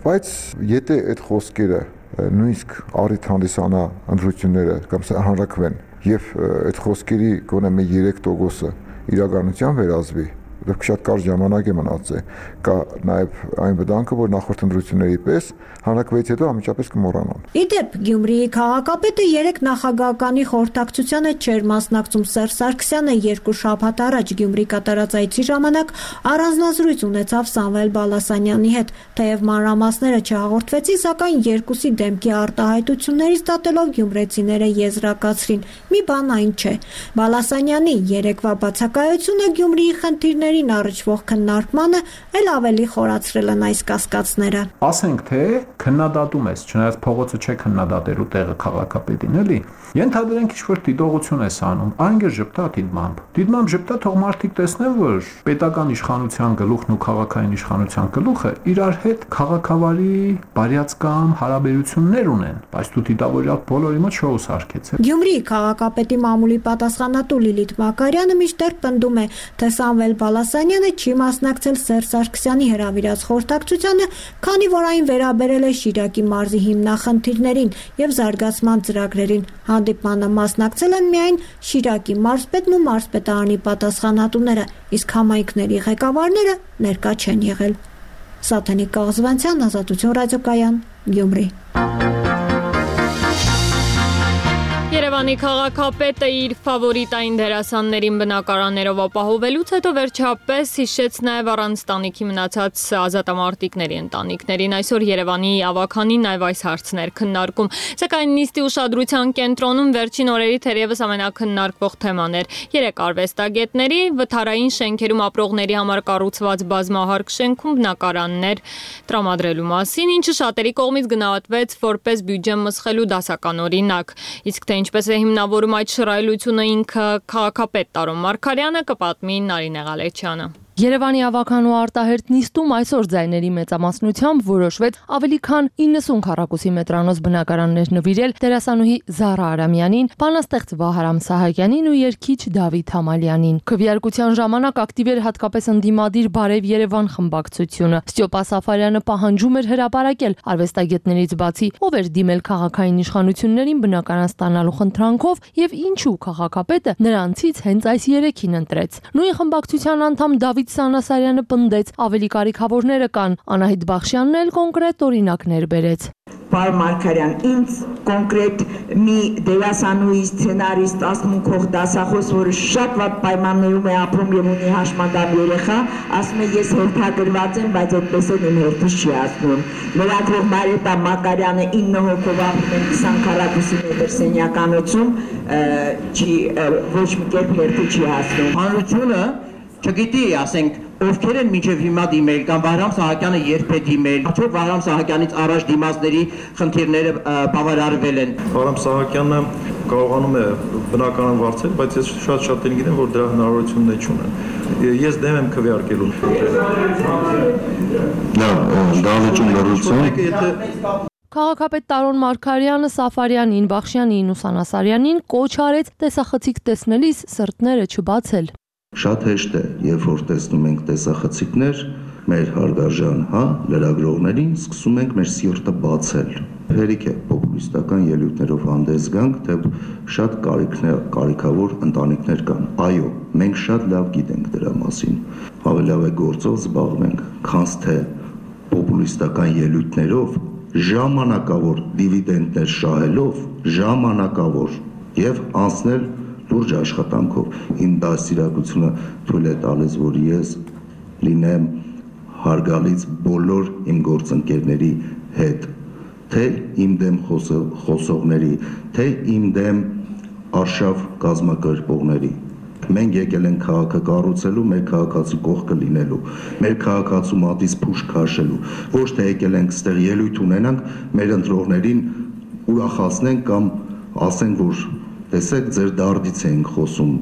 Speaker 5: բայց եթե այդ խոսքերը նույնիսկ առիթ հանդիսանա ընդրությունները կամ հանրաքվեն եւ այդ խոսքերի գոնե մի 3% իրականության վերածվի, դեռ շատ կարճ ժամանակ է մնացել, կա նաեւ այն վտանգը, որ նախորդ ընդրությունների պես հանրաքվեից հետո անմիջապես կմոռանան։
Speaker 22: Իդեպ Գյումրիի քաղաքապետը 3 նախագահականի խորհրդակցությանը չէր մասնակցում։ Սերժ Սարգսյանը 2 շաբաթ առաջ Գյումրի կատարած այցի ժամանակ առանձնազրույց ունեցավ Սամվել Բալասանյանի հետ, թեև մանրամասները չհաղորդվեցին, սակայն երկուսի դեմքի արտահայտություններից դատելով գյումրեցիները եզրակացրին՝ մի բան այն չէ։ Բալասանյանի երեկվա բացակայությունը Գյումրիի խնդիրներին առնչվող քննարկմանը էլ ավելի խորացրել են այս կասկածները։
Speaker 14: Ասենք թե քննադատում ես, չնայած փողոցը չէ քննադատելու տեղը քաղաքապետին, էլի։ Ենթադրենք ինչ-որ դիտողություն ես անում, անգեր ժպտա դիտմամբ։ Դիտմամբ ժպտա, թող մարդիկ տեսնեն, որ պետական իշխանության գլուխն ու քաղաքային իշխանության գլուխը իրար հետ քաղաքավարի բարյացկամ հարաբերություններ ունեն, բայց դու դիտավորյալ բոլորի մոտ շոու սարքեցել։
Speaker 22: Գյումրիի քաղաքապետի մամուլի պատասխանատու Լիլիթ Մակարյանը միշտեր պնդում է, թե Սամվել Բալասանյանը չի մասնակցել Սերժ Սարգսյանի հրավիրած խորհրդակցությանը, քանի որ այն վերաբերել է Շիրակի մարզի հիմնախնդիրներին եւ զարգացման ծրագրերին։ Հանդիպմանը մասնակցել են միայն Շիրակի մարզպետն ու մարզպետարանի պատասխանատուները, իսկ համայնքների ղեկավարները ներկա չեն եղել։ Սաթենիկ Կաղզվանցյան, Ազատություն ռադիոկայան, Գյումրի։
Speaker 1: Երևանի քաղաքապետը իր ֆավորիտային դերասաններին բնակարաններով ապահովելուց հետո վերջապես հիշեց նաև առանց տանիքի մնացած ազատամարտիկների ընտանիքներին։ Այսօր Երևանի ավականին նաև այս հարցն էր քննարկում, սակայն նիստի ուշադրության կենտրոնում վերջին օրերի թերևս ամենակննարկվող թեման էր 3 արվեստագետների վթարային շենքերում ապրողների համար կառուցված բազմահարկ շենքում բնակարաններ տրամադրելու մասին, ինչը շատերի կողմից գնահատվեց որպես բյուջե մսխելու դասական օրինակ։ Իսկ թե ինչպես է հիմնավորում այդ շռայլությունը ինքը քաղաքապետ Տարոն Մարգարյանը, կպատմի Նարինե Ղալեչյանը։
Speaker 20: Երևանի ավական ու արտահերթ նիստում այսօր ձայների մեծամասնությամբ որոշվեց ավելի քան 90 քառակուսի մետրանոց բնակարաններ նվիրել դերասանուհի Զարա Արամյանին, բանաստեղծ Վահարամ Սահակյանին ու երգիչ Դավիթ Համալյանին։ Քվեարկության ժամանակ ակտիվ էր հատկապես ընդդիմադիր Բարև Երևան խմբակցությունը։ Ստյոպա Սաֆարյանը պահանջում էր հրապարակել արվեստագետներից բացի, ով էր դիմել քաղաքային իշխանություններին բնակարան ստանալու խնդրանքով եւ ինչու քաղաքապետը նրանցից հենց այս 3-ին ընտրեց։ Նույն խմբակցության անդամ Դավիթ Սանասարյանը պնդեց, ավելի կարիքավորները կան, Անահիտ Բախշյանն էլ կոնկրետ օրինակներ բերեց։
Speaker 7: Պարոն Մարգարյան, ինձ կոնկրետ մի դերասանուհի, սցենարիստ, ասմունքող դասախոս, որը շատ վատ պայմաններում է ապրում եւ ունի հաշմանդամ երեխա, ասում է ես հերթագրված եմ, բայց այդպես էլ իմ հերթից չի ասում։ Լրագրող Մարիետա Մակարյանը 9 հոգով ապրում են 20 քառակուսի մետր սենյականոցում, ոչ մի կերպ հերթի չի հասնում։
Speaker 8: Հանրությունը չգիտի, ասենք, ովքեր են մինչև հիմա դիմել կամ Վահրամ Սահակյանը երբ է դիմել, արդյոք Վահրամ Սահակյանից առաջ դիմացների խնդիրները բավարարվել են։
Speaker 19: Վահրամ Սահակյանը կարողանում է բնականon վարձել, բայց ես շատ գիտեմ, որ դրա հնարավորությունն չունեն։ Ես դեմ եմ քվեարկելու։
Speaker 20: Քաղաքապետ Տարոն Մարգարյանը Սաֆարյանին, Բախշյանին ու Սանասարյանին կոչ արեց տեսախցիկ տեսնելիս սրտները չբացել։
Speaker 24: Շատ հեշտ է, երբ որ տեսնում ենք տեսախցիկներ,
Speaker 3: մեր հարգարժան լրագրողներին, սկսում ենք մեր սիրտը բացել։ Հերիք է պոպուլիստական ելույթներով հանդես գանք, թե շատ կարիքավոր ընտանիքներ կան։ Այո, մենք շատ լավ գիտենք դրա մասին։ Ավելի լավ է գործով զբաղվենք, քան թե պոպուլիստական ելույթներով, ժամանակավոր դիվիդենդներ շահելով, ժամանակավոր եւ անցնել լուրջ աշխատանքով։ Իմ դաստիարակությունը թույլ է տալիս, որ ես լինեմ հարգալից բոլոր իմ գործընկերների հետ, թե իմ դեմ խոսողների, թե իմ դեմ արշավ կազմակերպողների։ Մենք եկել ենք քաղաքը կառուցելու, մեր քաղաքացու կողքը լինելու, մեր քաղաքացու մատից փուշ քաշելու, ոչ թե եկել ենք ստեղ ելույթ ունենանք, մեր ընտրողներին ուրախացնենք կամ ասենք, որ տեսեք, ձեր դարդից ենք խոսում։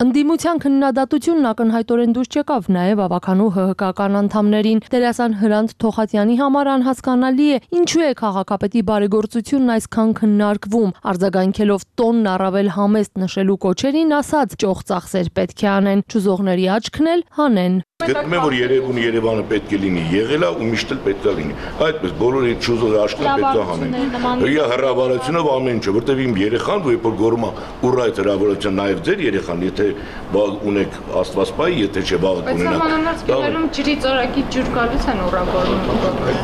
Speaker 20: Ընդդիմության քննադատությունն ակնհայտորեն դուրս չեկավ նաև ավականու ՀՀԿ-ական անդամներին։ Դերասան Հրանտ Թոխատյանի համար անհասկանալի է, ինչու է քաղաքապետի բարեգործությունն այսքան քննարկվում։ Արձագանքելով տոնն առավել համեստ նշելու կոչերին, ասաց՝ ճոխ ծախսեր պետք է անեն, ճուզողների աչքն էլ հանեն։
Speaker 6: Գտնում եմ, որ Երևանը պետք է լինի, եղել է ու միշտ էլ պետք է լինի։ Այդպես բոլոր այդ ճուզող աչքերը պետք է հանեն։ Իա հրավառությունով ամեն ինչը, որտեվ իմ երեխան, երբ որ գորում է ուր այդ հրավառության նաև ձեր երեխան, եթե ունեք Աստված պահի, եթե չէ վաղը կունենաք։
Speaker 1: Բայց համանուն ջրի ծորակի ջուր գալուց են ուռավորում։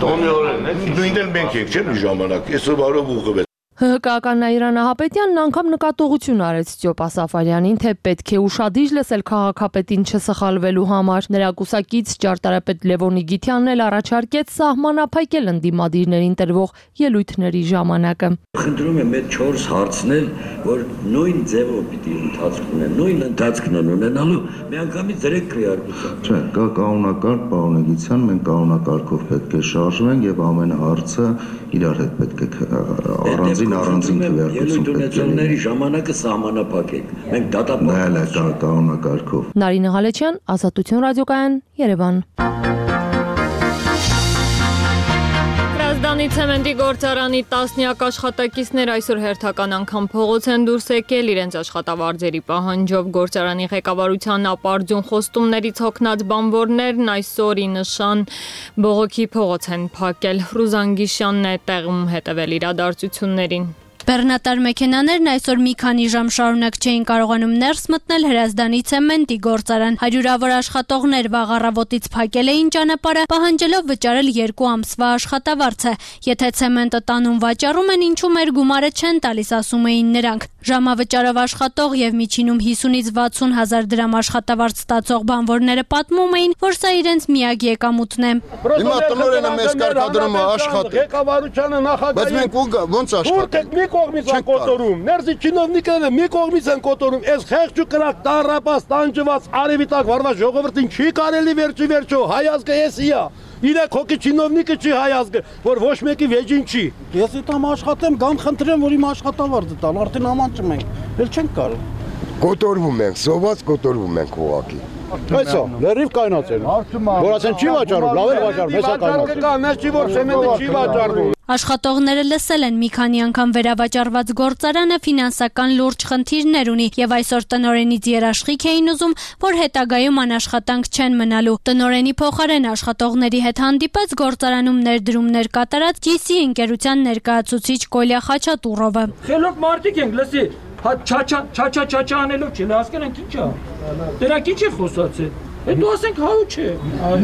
Speaker 6: Տոնի օրերն է, նույնն էլ մենք ենք, չէ՞ մի ժամանակ։ Այսօր բարով ուղղվեց։
Speaker 20: ՀՀԿ-ական Նաիրա Նահապետյանն անգամ նկատողություն արեց Ստյոպա Սաֆարյանին, թե պետք է ուշադիր լսել քաղաքապետին չսխալվելու համար։ Նրա կուսակից ճարտարապետ Լևոնի Գիթյանն էլ առաջարկեց սահմանափակել ընդդիմադիրներին տրվող ելույթների ժամանակը։
Speaker 9: Խնդրում եմ այդ 4 հարցնել, որ նույն ձևով պիտի ընթացք ունեն, նույն ընթացքն են ունենալու, միանգամից դրեք քրեարկության։
Speaker 3: Չէ, կա կանոնակարգ պարոնեգիցիան, մենք կանոնակարգով պետք է շարժվենք եւ ամեն հարցը իրար հետ պետք է առանձին
Speaker 9: ելույթ ունեցողների ժամանակը սահմանափակեք։ Մենք դատապարտենք
Speaker 3: կանոնակարգով։
Speaker 20: Նարինե Ղալեչյան, Ազատություն ռադիոկայան, Երևան։
Speaker 1: Հրազդանի ցեմենտի գործարանի տասնյակ աշխատակիցներ այսօր հերթական անգամ փողոց են դուրս եկել իրենց աշխատավարձերի պահանջով։ Գործարանի ղեկավարության ապարդյուն խոստումներից հոգնած բանվորներն այսօր ի նշան բողոքի փողոց են փակել։ Ռուզան Գիշյանն է տեղում հետևել իրադարձություններին։
Speaker 24: Բեռնատար մեքենաներն այսօր մի քանի ժամ շարունակ չէին կարողանում ներս մտնել Հրազդանի ցեմենտի գործարան։ Հարյուրավոր աշխատողներ վաղ առավոտից փակել էին ճանապարհը, պահանջելով վճարել 2 ամսվա աշխատավարձը։ Եթե ցեմենտը տանում վաճառում են, ինչու մեր գումարը չեն տալիս, ասում էին նրանք։ Ժամավճարով աշխատող եւ միջինում 50-ից 60 հազար դրամ աշխատավարձ ստացող բանվորները պատմում էին, որ սա իրենց միակ եկամուտն է։
Speaker 25: Հիմա տնօրենը մեզ կարգադրում է աշխատել։ Ղեկավարությունը նախագահի։ Բայց մենք ոնց աշխատենք։ Կողմից են կոտորում, ներսի չինովնիկները մի կողմից են կոտորում, այս խեղճ ու կրակ տարապած, տանջված, արևի տակ վարված ժողովրդին չի կարելի վերջո հայազգը էսիա։ Իրեք հոգի չինովնիկը չի հայազգը, որ ոչ մեկի վեճին չի։ Ես դիտամ աշխատեմ, գամ խնդրեմ, որ իմ աշխատավարձը տալ, արդեն ամանջում ենք, էլ չենք կարող։ Կոտորվում ենք, սոված կոտորվում ենք ուղղակի։ Այսո, լրիվ կայնացել։ Որ ասեն չի վաճառում, լավ է վաճառում, հեսա կայնացել։ Մեզ չի որ ցեմենտը չի վաճառվում։
Speaker 24: Աշխատողները լսել են մի քանի անգամ վերավաճառված գործարանը ֆինանսական լուրջ խնդիրներ ունի եւ այսօր տնօրենից երաշխիք էին ուզում, որ հետագայում անաշխատանք չեն մնալու։ Տնօրենի փոխարեն աշխատողների հետ հանդիպեց գործարանում ներդրումներ կատարած GC ընկերության ներկայացուցիչ Կոլյա Խաչատուրովը։
Speaker 26: Խելոք մարդիկ ենք, լսի, չա անելով չի, հասկանանք ի՞նչ է։ Դրա ի՞նչ է խոսացել։ Հետո ասենք հա ու չէ։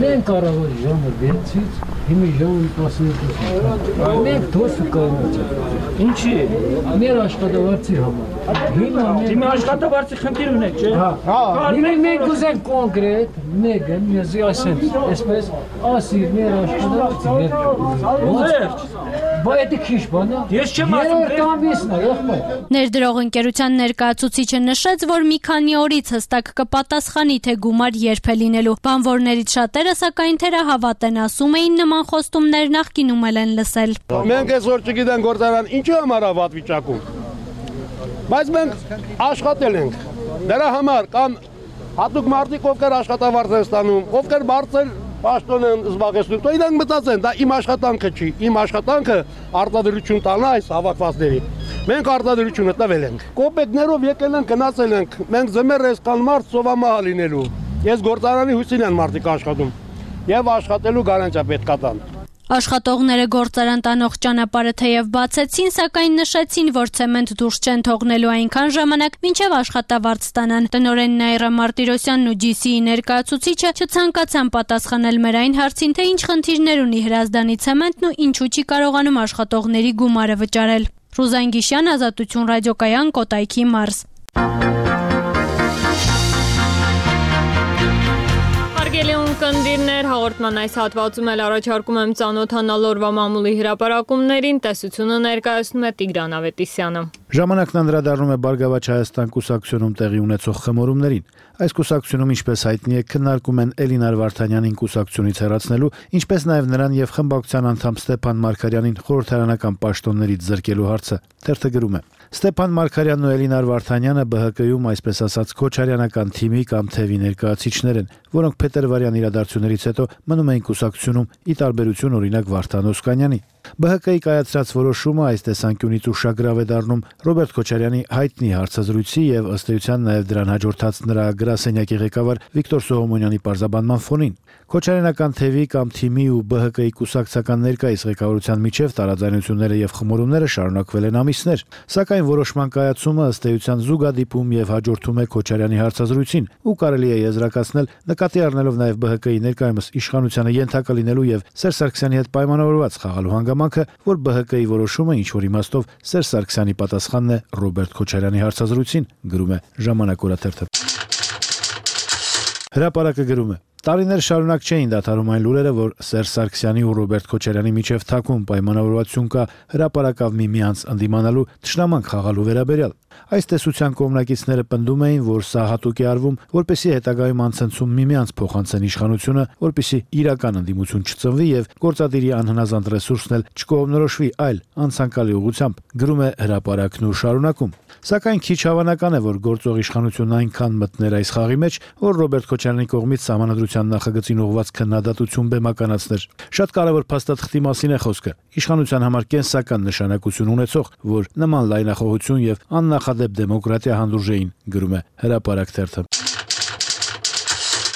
Speaker 27: Մենք կարող ենք ժամը 6-ից հիմի ժամը 12-ից։ Մենք դուրս կգանք։
Speaker 26: Ինչի։
Speaker 27: Մեր աշխատավարձի համար։
Speaker 26: Հիմա աշխատավարձի խնդիր ունեք, չէ։
Speaker 27: Հա։ Մենք ուզենք կոնկրետ մեկը մեզի ասեն, այսպես ասի մեր աշխատավարձը։ Բայց դա քիչ բան է։
Speaker 26: Ես չեմ ասում։
Speaker 24: Ներդրող ընկերության ներկայացուցիչը նշեց, որ մի քանի օրից հստակ կպատասխանի, թե գումար երբ է լինելու։ Բանվորներից շատերը սակայն թերահավատ են, ասում էին նման խոստումներ նախկինում են լսել։
Speaker 25: Մենք այսօր չգիտենք գործարան ինչու համար է վատ վիճակում։ Բայց մենք աշխատել ենք։ Դրա համար կամ հատուկ մարդիկ ովքեր աշխատավարձ են ստանում, ովքեր բարձր պաշտոն են զբաղեցնում, તો իրանք մտածեն, դա իմ աշխատանքը չի, իմ աշխատանքը արտադրություն տալն է այս հավաքվածների։ Մենք արտադրությունը տվել ենք։ Կոպեկներով եկել ենք, գնացել ենք։ Մենք զմեր այսքան մարդ սովամահա լինելու։ Ես գործարանի հույսին են մարդիկ աշխատում։ եւ աշխատելու գարանտիա պետք է տան։
Speaker 24: Աշխատողները գործարան տանող ճանապարհը թեև բացեցին, սակայն նշեցին, որ ցեմենտ դուրս չեն թողնելու այնքան ժամանակ, մինչև աշխատավարձ ստանան։ Տնօրեն Նաիրա Մարտիրոսյանն ու GC-ի ներկայացուցիչը չցանկացան պատասխանել մեր այն հարցին, թե ինչ խնդիրներ ունի Հրազդանի ցեմենտն ու ինչու չի կարողանում աշխատողների գումարը վճարել։ Ռուզան Գիշյան, Ազատություն ռադիոկայան, Կոտայքի մարզ։
Speaker 1: Կնդիրներ հաղորդման այս հատվածում էլ առաջարկում եմ ծանոթանալ օրվա մամուլի հրապարակումներին, տեսությունը ներկայացնում է Տիգրան Ավետիսյանը։
Speaker 2: Ժամանակն անդրադառնում է Բարգավաճ Հայաստան կուսակցությունում տեղի ունեցող խմորումներին։ Այս կուսակցությունում, ինչպես հայտնի է, քննարկում են Էլինար Վարդանյանին կուսակցությունից հեռացնելու, ինչպես նաև նրան եւ խմբակցության անդամ Ստեփան Մարգարյանին խորհրդարանական պաշտոններից զրկելու հարցը։ Թերթը գրում է. Ստեփան Մարգարյանն ու Էլինար Վարդանյանը ԲՀԿ-ում, այսպես ասած, քոչարյանական թիմի կամ թևի ներկայացիչներ են, որոնք փետրվարյան իրադարձություններից հետո մնում էին կուսակցությունում՝ ի տարբերություն օրինակ Վարդան Օսկանյանի։ ԲՀԿ-ի կայացրած որոշումը այս տեսանկյունից ուշագրավ է դառնում Ռոբերտ Քոչարյանի հայտնի հարցազրույցի եւ ըստ էության նաեւ դրան հաջորդած նրա գրասենյակի ղեկավար Վիկտոր Սողոմոնյանի պարզաբանման ֆոնին։ Քոչարյանական թևի կամ թիմի ու ԲՀԿ-ի կուսակցական ներկայիս ղեկավարության միջև տարաձայնությունները եւ խմորումները շարունակվել են ամիսներ, սակայն որոշման կայացումը ըստ էության զուգադիպում եւ հաջորդում է Քոչարյանի հարցազրույցին ու կարելի է եզրակացնել նկատի առնելով նաեւ ԲՀԿ-ի ներկայումս իշխանությանը ենթակա լինելու եւ Սերժ Սարգսյանի հետ պայմանավորված խաղալու հանգամանքը, որ ԲՀԿ-ի որոշումը ինչ որ իմաստով Սերժ Սարգսյանի պատասխանն է Ռոբերտ Քոչարյանի հարցազրույցին, գրում է Ժամանակ օրաթերթը։ Հրապարակը գրում է. Տարիներ շարունակ չէին դադարում այն լուրերը, որ Սերժ Սարգսյանի ու Ռոբերտ Քոչարյանի միջև թաքուն պայմանավորվածություն կա հրապարակավ միմյանց ընդդիմանալու թշնամանք խաղալու վերաբերյալ։ Այս տեսության կողմնակիցները պնդում էին, որ սա հատուկ է արվում, որպեսզի հետագայում անցնցում միմյանց փոխանցեն իշխանությունը, որպեսզի իրական ընդդիմություն չծնվի եւ գործադիրի անհնազանդ ռեսուրսն էլ չկողմնորոշվի այլ անցանկալի ուղղությամբ, գրում է հրապարակն ու շարունակում։ Սակայն քիչ հավանական է, որ գործող իշխանությունն այնքան մտներ այս խաղի մեջ, որ Ռոբերտ Քոչարյանի կողմից Սահմանադրության նախագծին ուղղված քննադատություն բեմականացներ։ Շատ կարևոր փաստաթղթի մասին է խոսքը։ Իշխանության համար կենսական նշանակություն ունեցող, որ նման լայնախոհություն եւ աննախադեպ դեմոկրատիա հանդուրժեին, գրում է հրապարակ թերթը։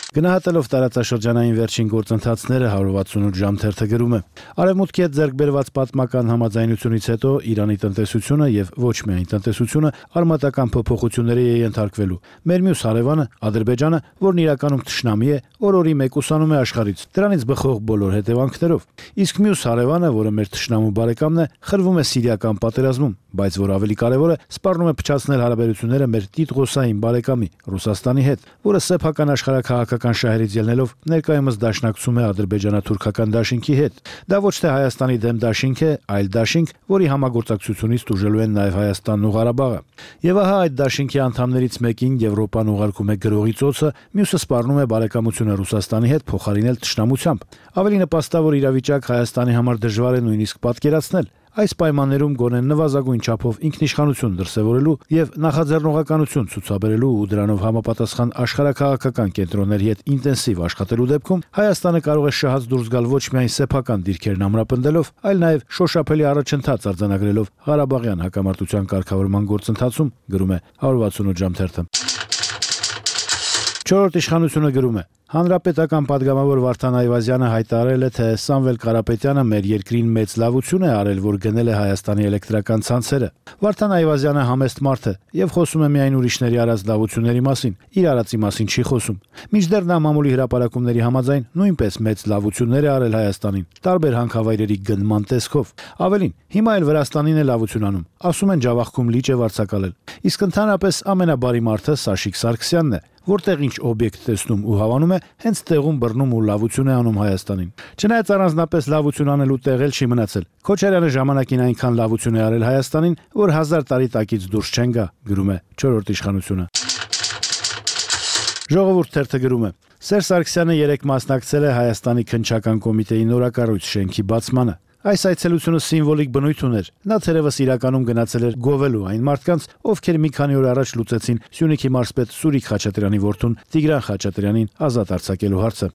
Speaker 2: Գնահատելով տարածաշրջանային վերջին գործընթացները 168 ժամ թերթը գրում է. Արևմուտքի հետ ձեռք բերված պատմական համաձայնությունից հետո Իրանի տնտեսությունը եւ ոչ միայն տնտեսությունը արմատական փոփոխությունների է ենթարկվելու։ Մեր մյուս հարևանը Ադրբեջանը, որն իրականում թշնամի է, օր-օրի մեկուսանում է աշխարհից, դրանից բխող բոլոր հետևանքներով։ Իսկ մյուս հարևանը, որը մեր թշնամու բարեկամն է, խրվում է սիրիական պատերազմում, բայց որ ավելի կարևոր է, սպառնում է փչացնել հարաբերությունները մեր տիտղոսային բարեկամի Ռուսաստանի հետ, որը սեփական աշխարհակահաղական շահերից ելնելով ներկայումս դաշնակցում է ադրբեջանա-թուրքական դաշինքի հետ։ Դա ոչ թե Հայաստանի դեմ դաշինք է, այլ դաշինք, որի համագործակցությունից տուժելու են նաև Հայաստանն ու Ղարաբաղը։ Եվ ահա այդ դաշինքի անդամներից մեկին Եվրոպան ուղարկում է գրողի ծոցը, մյուսը սպառնում է բարեկամությունը Ռուսաստանի հետ փոխարինել թշնամությամբ։ Ավելի նպաստավոր իրավիճակ Հայաստանի համար դժվար է նույնիսկ պատկերացնել։ Այս պայմաններում գոնե նվազագույն չափով ինքնիշխանություն դրսևորելու եւ նախաձեռնողականություն ցուցաբերելու ու դրանով համապատասխան աշխարհակահաղական կենտրոնների հետ ինտենսիվ աշխատելու դեպքում Հայաստանը կարող է շահած դուրս գալ ոչ միայն սեփական դիրքերն ամրապնդելով, այլ նաեւ շոշափելի առաջընթաց արձանագրելով Ղարաբաղյան հակամարտության կարգավորման գործընթացում, գրում է 168 ժամ թերթը։ Չորրորդ իշխանությունը գրում է. Հանրապետական падգամավոր Վարդան Այվազյանը հայտարարել է, թե Սամվել Կարապետյանը մեր երկրին մեծ լավություն է արել, որ գնել է Հայաստանի էլեկտրական ցանցերը։ Վարդան Այվազյանը համեստ մարդ է եւ խոսում է միայն ուրիշների արած լավությունների մասին, իր արածի մասին չի խոսում։ Մինչդեռ նա մամուլի հրապարակումների համաձայն նույնպես մեծ լավություններ է արել Հայաստանին, տարբեր հանքավայրերի գնման տեսքով։ Ավելին, հիմա էլ Վրաստանին է լավություն անում։ Ասում են Ջավախքում լիճ է վարձակալել։ Իսկ ընդհանրապես ամենաբարի մարդը Սաշիկ Սարգսյանն է, որտեղ ինչ օբյեկտ տեսնում ու հավանում է, հենց տեղում բռնում ու լավություն է անում Հայաստանին։ Չնայած առանձնապես լավություն անելու տեղ էլ չի մնացել։ Քոչարյանը ժամանակին այնքան լավություն է արել Հայաստանին, որ 1000 տարի տակից դուրս չեն գա, գրում է չորրորդ իշխանությունը։ Ժողովուրդ թերթը գրում է. Սերժ Սարգսյանը երեկ մասնակցել է Հայաստանի քննչական կոմիտեի նորակառույց շենքի բացմանը։ Այս այցելությունը սիմվոլիկ բնույթ ուներ։ Նա թերևս իրականում գնացել էր գովելու այն մարդկանց, ովքեր մի քանի օր առաջ լուծեցին Սյունիքի մարզպետ Սուրիկ Խաչատրյանի որդուն Տիգրան Խաչատրյանին ազատ արձակելու հարցը։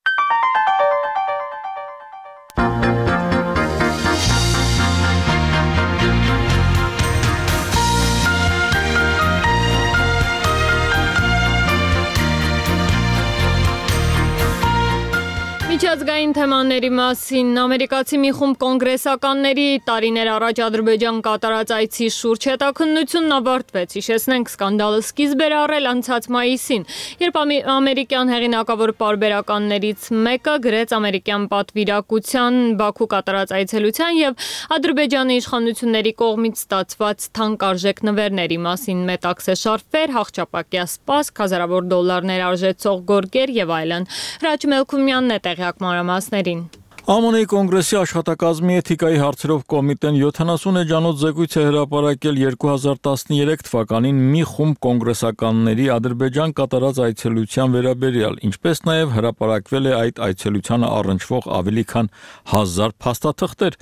Speaker 1: Միջազգային թեմաների մասին ամերիկացի մի խումբ կոնգրեսականների տարիներ առաջ Ադրբեջան կատարած այցի շուրջ հետաքննությունն ավարտվեց։ Հիշեցնենք, սկանդալը սկիզբ էր առել անցած մայիսին, երբ ամերիկյան հեղինակավոր պարբերականներից մեկը գրեց ամերիկյան պատվիրակության Բաքու կատարած այցելության եւ Ադրբեջանի իշխանությունների կողմից ստացված թանկարժեք նվերների մասին մետաքսե շարֆեր, հաղճապակյա սպասք, հազարավոր դոլարներ արժեցող գորգեր եւ այլն։ Հրաչ Մելքումյանն է տեղյակ մանրամասներին։
Speaker 10: ԱՄՆ-ի կոնգրեսի աշխատակազմի էթիկայի հարցերով կոմիտեն 70 էջանոց զեկույց է հրապարակել 2013 թվականին մի խումբ կոնգրեսականների Ադրբեջան կատարած այցելության վերաբերյալ, ինչպես նաև հրապարակվել է այդ այցելությանը առնչվող ավելի քան 1000 փաստաթղթեր։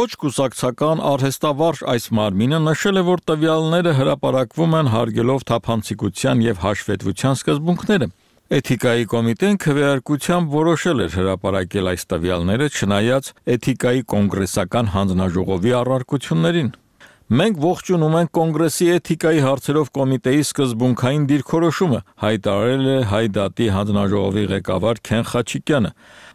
Speaker 10: Ոչ կուսակցական արհեստավարժ այս մարմինը նշել է, որ տվյալները հրապարակվում են հարգելով թափանցիկության եւ հաշվետվության սկզբունքները։ Էթիկայի կոմիտեն քվեարկությամբ որոշել էր հրապարակել այս տվյալները, չնայած էթիկայի կոնգրեսական հանձնաժողովի առարկություններին։ Մենք ողջունում ենք կոնգրեսի էթիկայի հարցերով կոմիտեի սկզբունքային դիրքորոշումը, հայտարարել է Հայ դատի հանձնաժողովի ղեկավար Քեն Խաչիկյանը։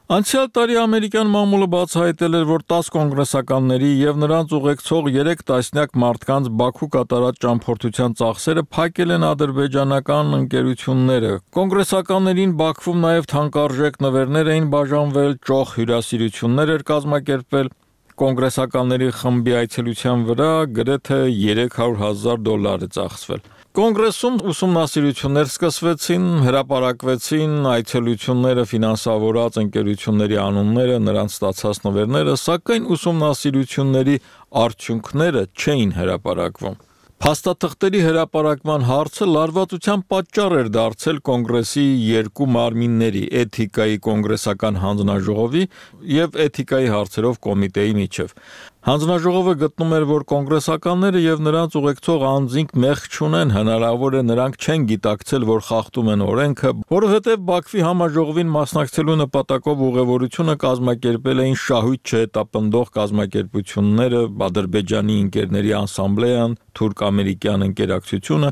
Speaker 10: Անցյալ տարի ամերիկյան մամուլը բացահայտել էր, որ 10 կոնգրեսականների եւ նրանց ուղեկցող 3 տասնյակ մարդկանց Բաքու կատարած ճամփորդության ծախսերը փակել են ադրբեջանական ընկերությունները։ Կոնգրեսականներին Բաքվում նաեւ թանկարժեք նվերներ էին բաժանվել, ճոխ հյուրասիրություններ էր կազմակերպվել։ Կոնգրեսականների խմբի այցելության վրա գրեթե $300,000 է ծախսվել։ Կոնգրեսում ուսումնասիրություններ սկսվեցին, հրապարակվեցին այցելությունները ֆինանսավորած ընկերությունների անունները, նրանց ստացած նվերները, սակայն ուսումնասիրությունների արդյունքները չէին հրապարակվում։ Փաստաթղթերի հրապարակման հարցը լարվածության պատճառ էր դարձել կոնգրեսի երկու մարմինների՝ էթիկայի կոնգրեսական հանձնաժողովի եւ էթիկայի հարցերով կոմիտեի միջև։ Հանձնաժողովը գտնում էր, որ կոնգրեսականները եւ նրանց ուղեկցող անձինք մեղք չունեն, հնարավոր է նրանք չեն գիտակցել, որ խախտում են օրենքը, որովհետեւ Բաքվի համաժողովին մասնակցելու նպատակով ուղևորությունը կազմակերպել էին շահույթ չհետապնդող կազմակերպությունները, Ադրբեջանի ընկերների ասամբլեան, թուրք-ամերիկյան ընկերակցությունը,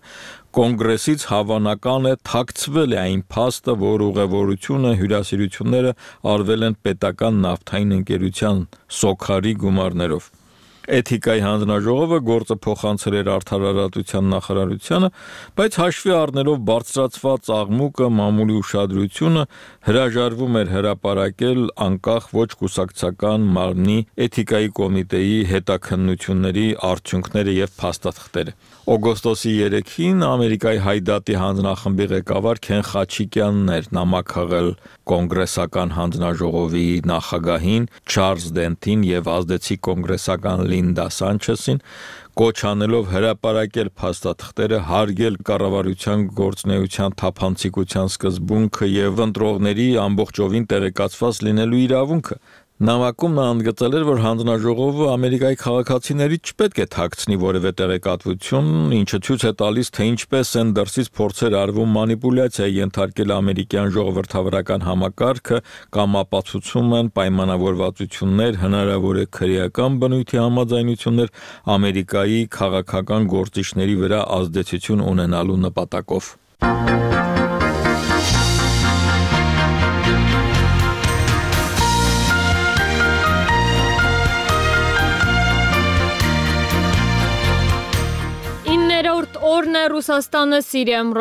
Speaker 10: կոնգրեսից հավանական է թաքցվել է այն փաստը, որ ուղևորությունը, հյուրասիրությունները արվել են պետական նավթային ընկերության Սոքարի գումարներով։ Էթիկայի հանձնաժողովը գործը փոխանցել էր Արդարադատության նախարարությանը, բայց հաշվի առնելով բարձրացված աղմուկը, մամուլի ուշադրությունը, հրաժարվում էր հրապարակել անկախ ոչ կուսակցական մարմնի էթիկայի կոմիտեի հետաքննությունների արդյունքները եւ փաստաթղթերը։ Օգոստոսի 3-ին Ամերիկայի Հայ դատի հանձնախմբի ղեկավար Քեն Խաչիկյանն էր նամակահղել կոնգրեսական հանձնաժողովի նախագահին Չարլզ Դենթին եւ ազդեցիկ կոնգրեսական Լինդա Սանչեսին, կոչ անելով հրապարակել փաստաթղթերը, հարգել կառավարության գործունեության թափանցիկության սկզբունքը եւ ընտրողների ամբողջովին տեղեկացված լինելու իրավունքը։ Նամակում նա ընդգծել էր, որ հանձնաժողովը Ամերիկայի քաղաքացիներից չպետք է թաքցնի որևէ տեղեկատվություն, ինչը ցույց է տալիս, թե ինչպես են դրսից փորձեր արվում մանիպուլյացիայի ենթարկել ամերիկյան ժողովրդավարական համակարգը կամ ապացուցում են պայմանավորվածություններ, հնարավոր է քրեական բնույթի համաձայնություններ Ամերիկայի քաղաքական գործիչների վրա ազդեցություն ունենալու նպատակով։
Speaker 1: Օրն է Ռուսաստանը Սիրիայում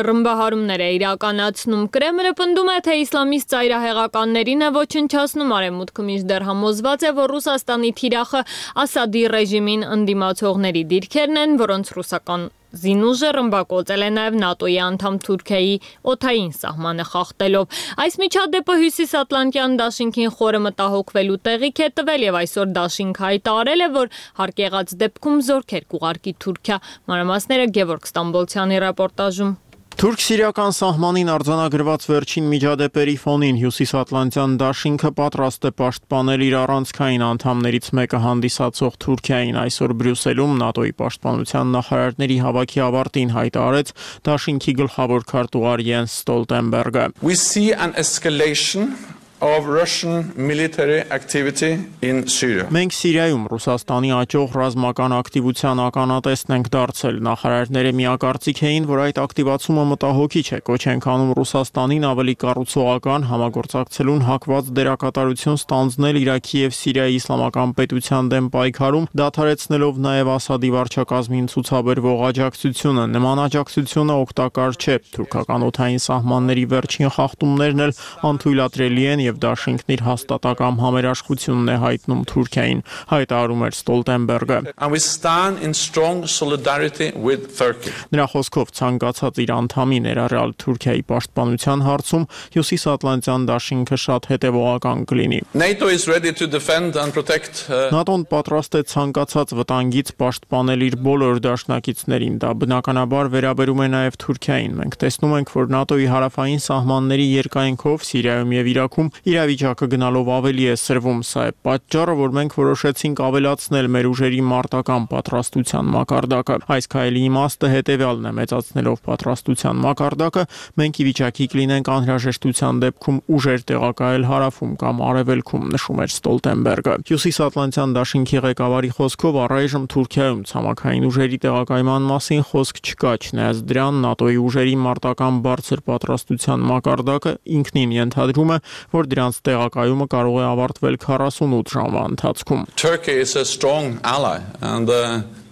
Speaker 1: ռմբահարումներ է իրականացնում։ Կրեմլը պնդում է, թե իսլամիստ ծայրահեղականներին է ոչնչացնում, արևմուտքը մինչդեռ համոզված է, որ Ռուսաստանի թիրախը Ասադի ռեժիմին ընդդիմացողների դիրքերն են, որոնց ռուսական զինուժը ռմբակոծել է նաև ՆԱՏՕ-ի անդամ Թուրքիայի օդային սահմանը խախտելով։ Այս միջադեպը Հյուսիսատլանտյան դաշինքին խորը մտահոգվելու տեղիք է տվել եւ այսօր դաշինքը հայտարարել է, որ հարկ եղած դեպքում զորքեր կուղարկի Թուրքիա։ Մանրամասները Գևորգ Ստամբոլցյանի ռեպորտաժում։
Speaker 11: Թուրք-սիրիական սահմանին արձանագրված վերջին միջադեպերի ֆոնին Հյուսիսատլանտյան դաշինքը պատրաստ է պաշտպանել իր առանցքային անդամներից մեկը հանդիսացող Թուրքիային այսօր Բրյուսելում ՆԱՏՕ-ի պաշտպանության նախարարների հավաքի ավարտին հայտարարեց դաշինքի գլխավոր քարտուղար Յենս Ստոլտենբերգը.
Speaker 12: We see an escalation of Russian military activity in Syria.
Speaker 11: Մենք Սիրիայում Ռուսաստանի աճող ռազմական ակտիվության ականատեսն ենք դարձել։ Նախարարները միակարծիք էին, որ այդ ակտիվացումը մտահոգիչ է։ Կոչ ենք անում Ռուսաստանին ավելի կառուցողական համագործակցելուն հակված դերակատարություն ստանձնել Իրաքի եւ Սիրիայի իսլամական պետության դեմ պայքարում, դադարեցնելով նաեւ Ասադի վարչակազմին ցուցաբերվող աջակցությունը։ Նման աջակցությունը օգտակար չէ։ Թուրքական օդային սահմանների վերջին խախտումներն էլ անթույլատրելի են եւ դաշինքն իր հաստատակամ համերաշխությունն է հայտնում Թուրքիային, հայտարարում էր Ստոլտենբերգը։
Speaker 12: And we stand in strong solidarity with Turkey.
Speaker 11: Նրա խոսքով ցանկացած իր անդամի ներառյալ Թուրքիայի պաշտպանության հարցում Հյուսիսատլանտյան դաշինքը շատ հետևողական կլինի։
Speaker 12: NATO is ready to defend and protect.
Speaker 11: ՆԱՏՕ-ն պատրաստ է ցանկացած վտանգից պաշտպանել իր բոլոր դաշնակիցներին։ Դա բնականաբար վերաբերում է նաև Թուրքիային։ Մենք տեսնում ենք, որ ՆԱՏՕ-ի հարավային սահմանների երկայնքով Սիրիայում եւ Իրաքում իրավիճակը գնալով ավելի է սրվում։ Սա է պատճառը, որ մենք որոշեցինք ավելացնել մեր ուժերի մարտական պատրաստության մակարդակը։ Այս քայլի իմաստը հետևյալն է՝ մեծացնելով պատրաստության մակարդակը, մենք ի վիճակի կլինենք անհրաժեշտության դեպքում ուժեր տեղակայել հարավում կամ արևելքում, նշում էր Ստոլտենբերգը։ Հյուսիսատլանտյան դաշինքի ղեկավարի խոսքով առայժմ Թուրքիայում ցամաքային ուժերի տեղակայման մասին խոսք չկա, չնայած դրան ՆԱՏՕ-ի ուժերի մարտական բարձր պատրաստության մակարդակը ինքնին ենթադրում է, որ դրանց տեղակայումը կարող է ավարտվել 48 ժամվա ընթացքում։
Speaker 12: Turkey is a strong ally and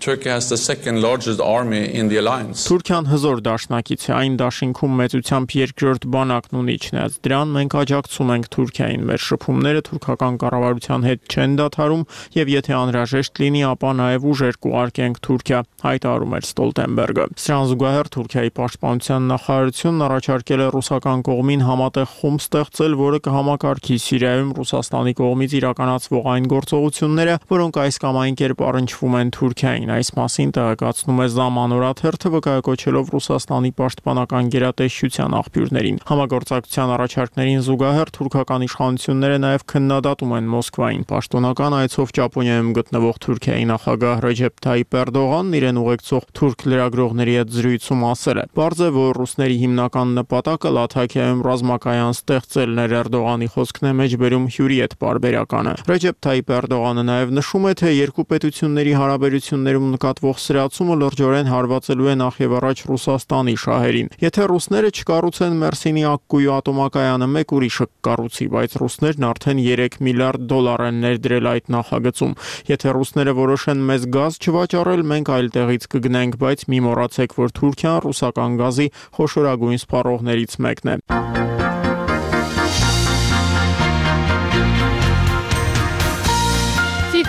Speaker 12: Turkey has the second largest army in the alliance.
Speaker 11: Թուրքիան հզոր դաշնակից է, այն դաշինքում մեծությամբ երկրորդ բանակն ունի, չնայած դրան մենք աջակցում ենք Թուրքիային։ Մեր շփումները թուրքական կառավարության հետ չեն դադարում եւ եթե անհրաժեշտ լինի, ապա նաեւ ուժեր կուղարկենք Թուրքիա, հայտարարում էր Ստոլտենբերգը։ Սրան զուգահեռ Թուրքիայի պաշտպանության նախարարությունն առաջարկել է ռուսական կողմին համատեղ խումբ ստեղծել, որը կհամակարգի Սիրիայում Ռուսաստանի կողմից իրականացվող այն գործողությունները, որոնք այս կամ այն կերպ առնչվում են Թուրքիային։ Այս մասին տեղեկացնում է Zaman օրաթերթը, վկայակոչելով Ռուսաստանի պաշտպանական գերատեսչության աղբյուրներին։ Համագործակցության առաջարկներին զուգահեռ թուրքական իշխանությունները նաև քննադատում են Մոսկվային։ Պաշտոնական այցով Ճապոնիայում գտնվող Թուրքիայի նախագահ Ռեջեփ Թայիփ Էրդողանն իրեն ուղեկցող թուրք լրագրողների հետ զրույցում ասել է. «Պարզ է, որ ռուսների հիմնական նպատակը Լաթաքիայում ռազմակայան ստեղծելն էր»։ Էրդողանի խոսքն է մեջբերում հյուրի հետ պարբերականը։ Ռեջեփ Թայիփ Էրդողանը նաև նշում է, թե երկու պետությունների հարաբերություններում նկատվող սրացումը լրջորեն հարվածելու է նախ եւ առաջ Ռուսաստանի շահերին։ Եթե ռուսները չկառուցեն Մերսինի ակկույու ատոմակայանը, մեկ ուրիշը կկառուցի, բայց ռուսներն արդեն 3 միլիարդ դոլար են ներդրել այդ նախագծում։ Եթե ռուսները որոշեն մեզ գազ չվաճառել, մենք այլ տեղից կգնենք, բայց մի մոռացեք, որ Թուրքիան ռուսական գազի խոշորագույն սպառողներից մեկն է։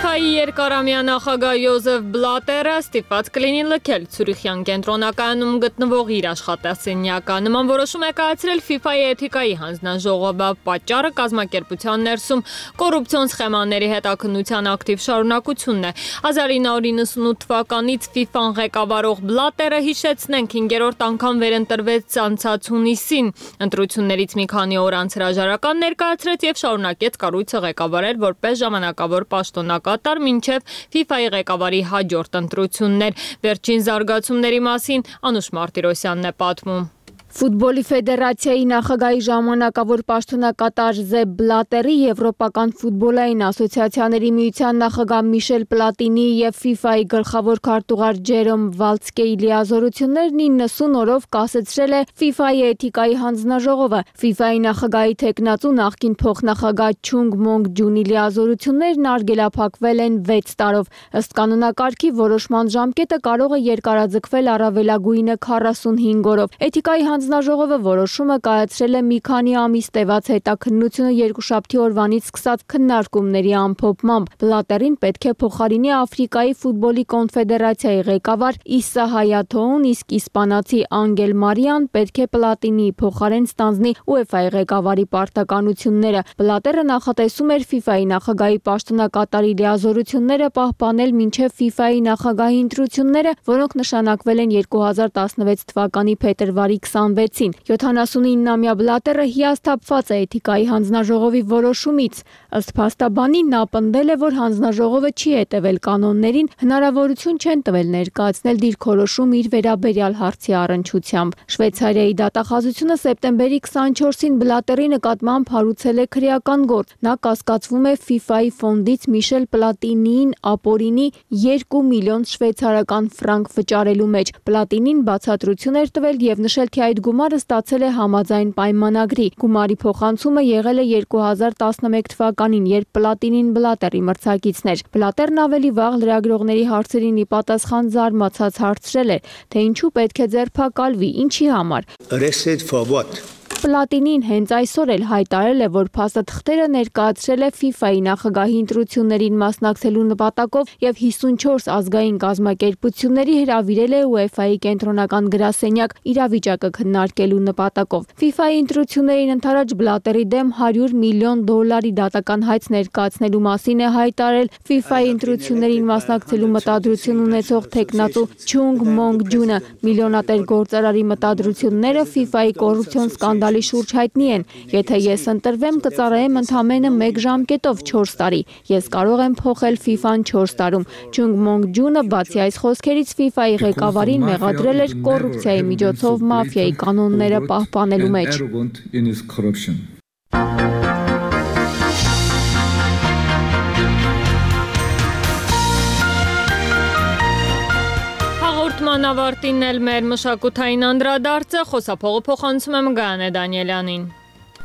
Speaker 1: ՖԻՖԱ-ի երկարամյա նախագահ Յոզեֆ Բլատերը ստիպված կլինի լքել Ցյուրիխյան կենտրոնակայանում գտնվող իր աշխատասենյակը։ Նման որոշում է կայացրել ՖԻՖԱ-ի էթիկայի հանձնաժողովը։ Պատճառը կազմակերպության ներսում կոռուպցիոն սխեմաների հետաքննության ակտիվ շարունակությունն է։ 1998 թվականից ՖԻՖԱ-ն ղեկավարող Բլատերը, հիշեցնենք, 5-րդ անգամ վերընտրվեց անցած հունիսին։ Ընտրություններից մի քանի օր անց հրաժարական ներկայացրեց եւ շարունակեց կառույցը ղեկավարել որպես ժամանակավոր պաշտոնակատար մինչև ՖԻՖԱ-ի ղեկավարի հաջորդ ընտրություններ։ Վերջին զարգացումների մասին Անուշ Մարտիրոսյանն է պատմում։
Speaker 13: Ֆուտբոլի ֆեդերացիայի նախագահի ժամանակավոր պաշտոնակատար Զեփ Բլատերի, Եվրոպական ֆուտբոլային ասոցիացիաների միության նախագահ Միշել Պլատինի եւ ՖԻՖԱ-ի գլխավոր քարտուղար Ջերոմ Վալցկեի լիազորություններն 90 օրով կասեցրել է ՖԻՖԱ-ի էթիկայի հանձնաժողովը։ ՖԻՖԱ-ի նախագահի թեկնածու նախկին փոխնախագահ Չունգ Մոնգ Ջունի լիազորություններն արգելափակվել են 6 տարով։ Ըստ կանոնակարգի որոշման ժամկետը կարող է երկարաձգվել առավելագույնը 45 օրով։ Էթիկայի հանձնաժողովը որոշումը կայացրել է մի քանի ամիս տևած հետաքննությունը երկուշաբթի օրվանից սկսած քննարկումների ամփոփմամբ։ Բլատերին պետք է փոխարինի Աֆրիկայի ֆուտբոլի կոնֆեդերացիայի ղեկավար Իսա Հայաթոուն, իսկ իսպանացի Անգել Մարիան պետք է Պլատինիի փոխարեն ստանձնի ՈՒԵՖԱ-ի ղեկավարի պարտականությունները։ Բլատերը նախատեսում էր ՖԻՖԱ-ի նախագահի պաշտոնակատարի լիազորությունները պահպանել մինչև ՖԻՖԱ-ի նախագահի ընտրությունները, որոնք նշանակվել են 2016 թվականի փետրվարի 20 սպանվեցին։ 79-ամյա Բլատերը հիասթափված է էթիկայի հանձնաժողովի որոշումից։ Ըստ փաստաբանի նա պնդել է, որ հանձնաժողովը չի հետևել կանոններին, հնարավորություն չեն տվել ներկայացնել դիրքորոշում իր վերաբերյալ հարցի առնչությամբ։ Շվեյցարիայի դատախազությունը սեպտեմբերի 24-ին Բլատերի նկատմամբ հարուցել է քրեական գործ։ Նա կասկածվում է FIFA-ի ֆոնդից Միշել Պլատինիին ապօրինի 2 միլիոն շվեյցարական ֆրանկ վճարելու մեջ։ Պլատինին բացատրություն էր տվել եւ նշել, թե այդ գումարը ստացել է համաձայն պայմանագրի։ Գումարի փոխանցումը եղել է 2011 թվականին, երբ Պլատինին Բլատերի մրցակիցն էր։ Բլատերն ավելի վաղ լրագրողների հարցերին ի պատասխան զարմացած հարցրել է, թե ինչու պետք է ձերբակալվի, ինչի համար։
Speaker 4: Arrested for what?
Speaker 13: Պլատինին հենց այսօր էլ հայտարարել է, որ փաստաթղթերը ներկայացրել է FIFA-ի նախագահի ընտրություններին մասնակցելու նպատակով եւ 54 ազգային կազմակերպությունների հրավիրել է UEFA-ի կենտրոնական գրասենյակ իրավիճակը քննարկելու նպատակով։ FIFA-ի ընտրություններին ընդառաջ Բլատերի դեմ $100 միլիոն դատական հայց ներկայացնելու մասին է հայտարարել FIFA-ի ընտրություններին մասնակցելու մտադրություն ունեցող տեխնատու Չունգ Մոնգ Ջունը։ Միլիոնատեր գործարարի մտադրությունները FIFA-ի կոռուպցիոն սկանդալի շուրջ հայտնի են։ Եթե ես ընտրվեմ, կծառայեմ ընդամենը 1 ժամկետով 4 տարի։ Ես կարող եմ փոխել FIFA-ն 4 տարում։ Չունգ Մոնգ Ջունը բացի այս խոսքերից FIFA-ի ղեկավարին մեղադրել էր կոռուպցիայի միջոցով մաֆիայի կանոնները պահպանելու մեջ։
Speaker 1: Հաղորդման ավարտին էլ մեր մշակութային անդրադարձը խոսափողը փոխանցում եմ Գայանե Դանիելյանին։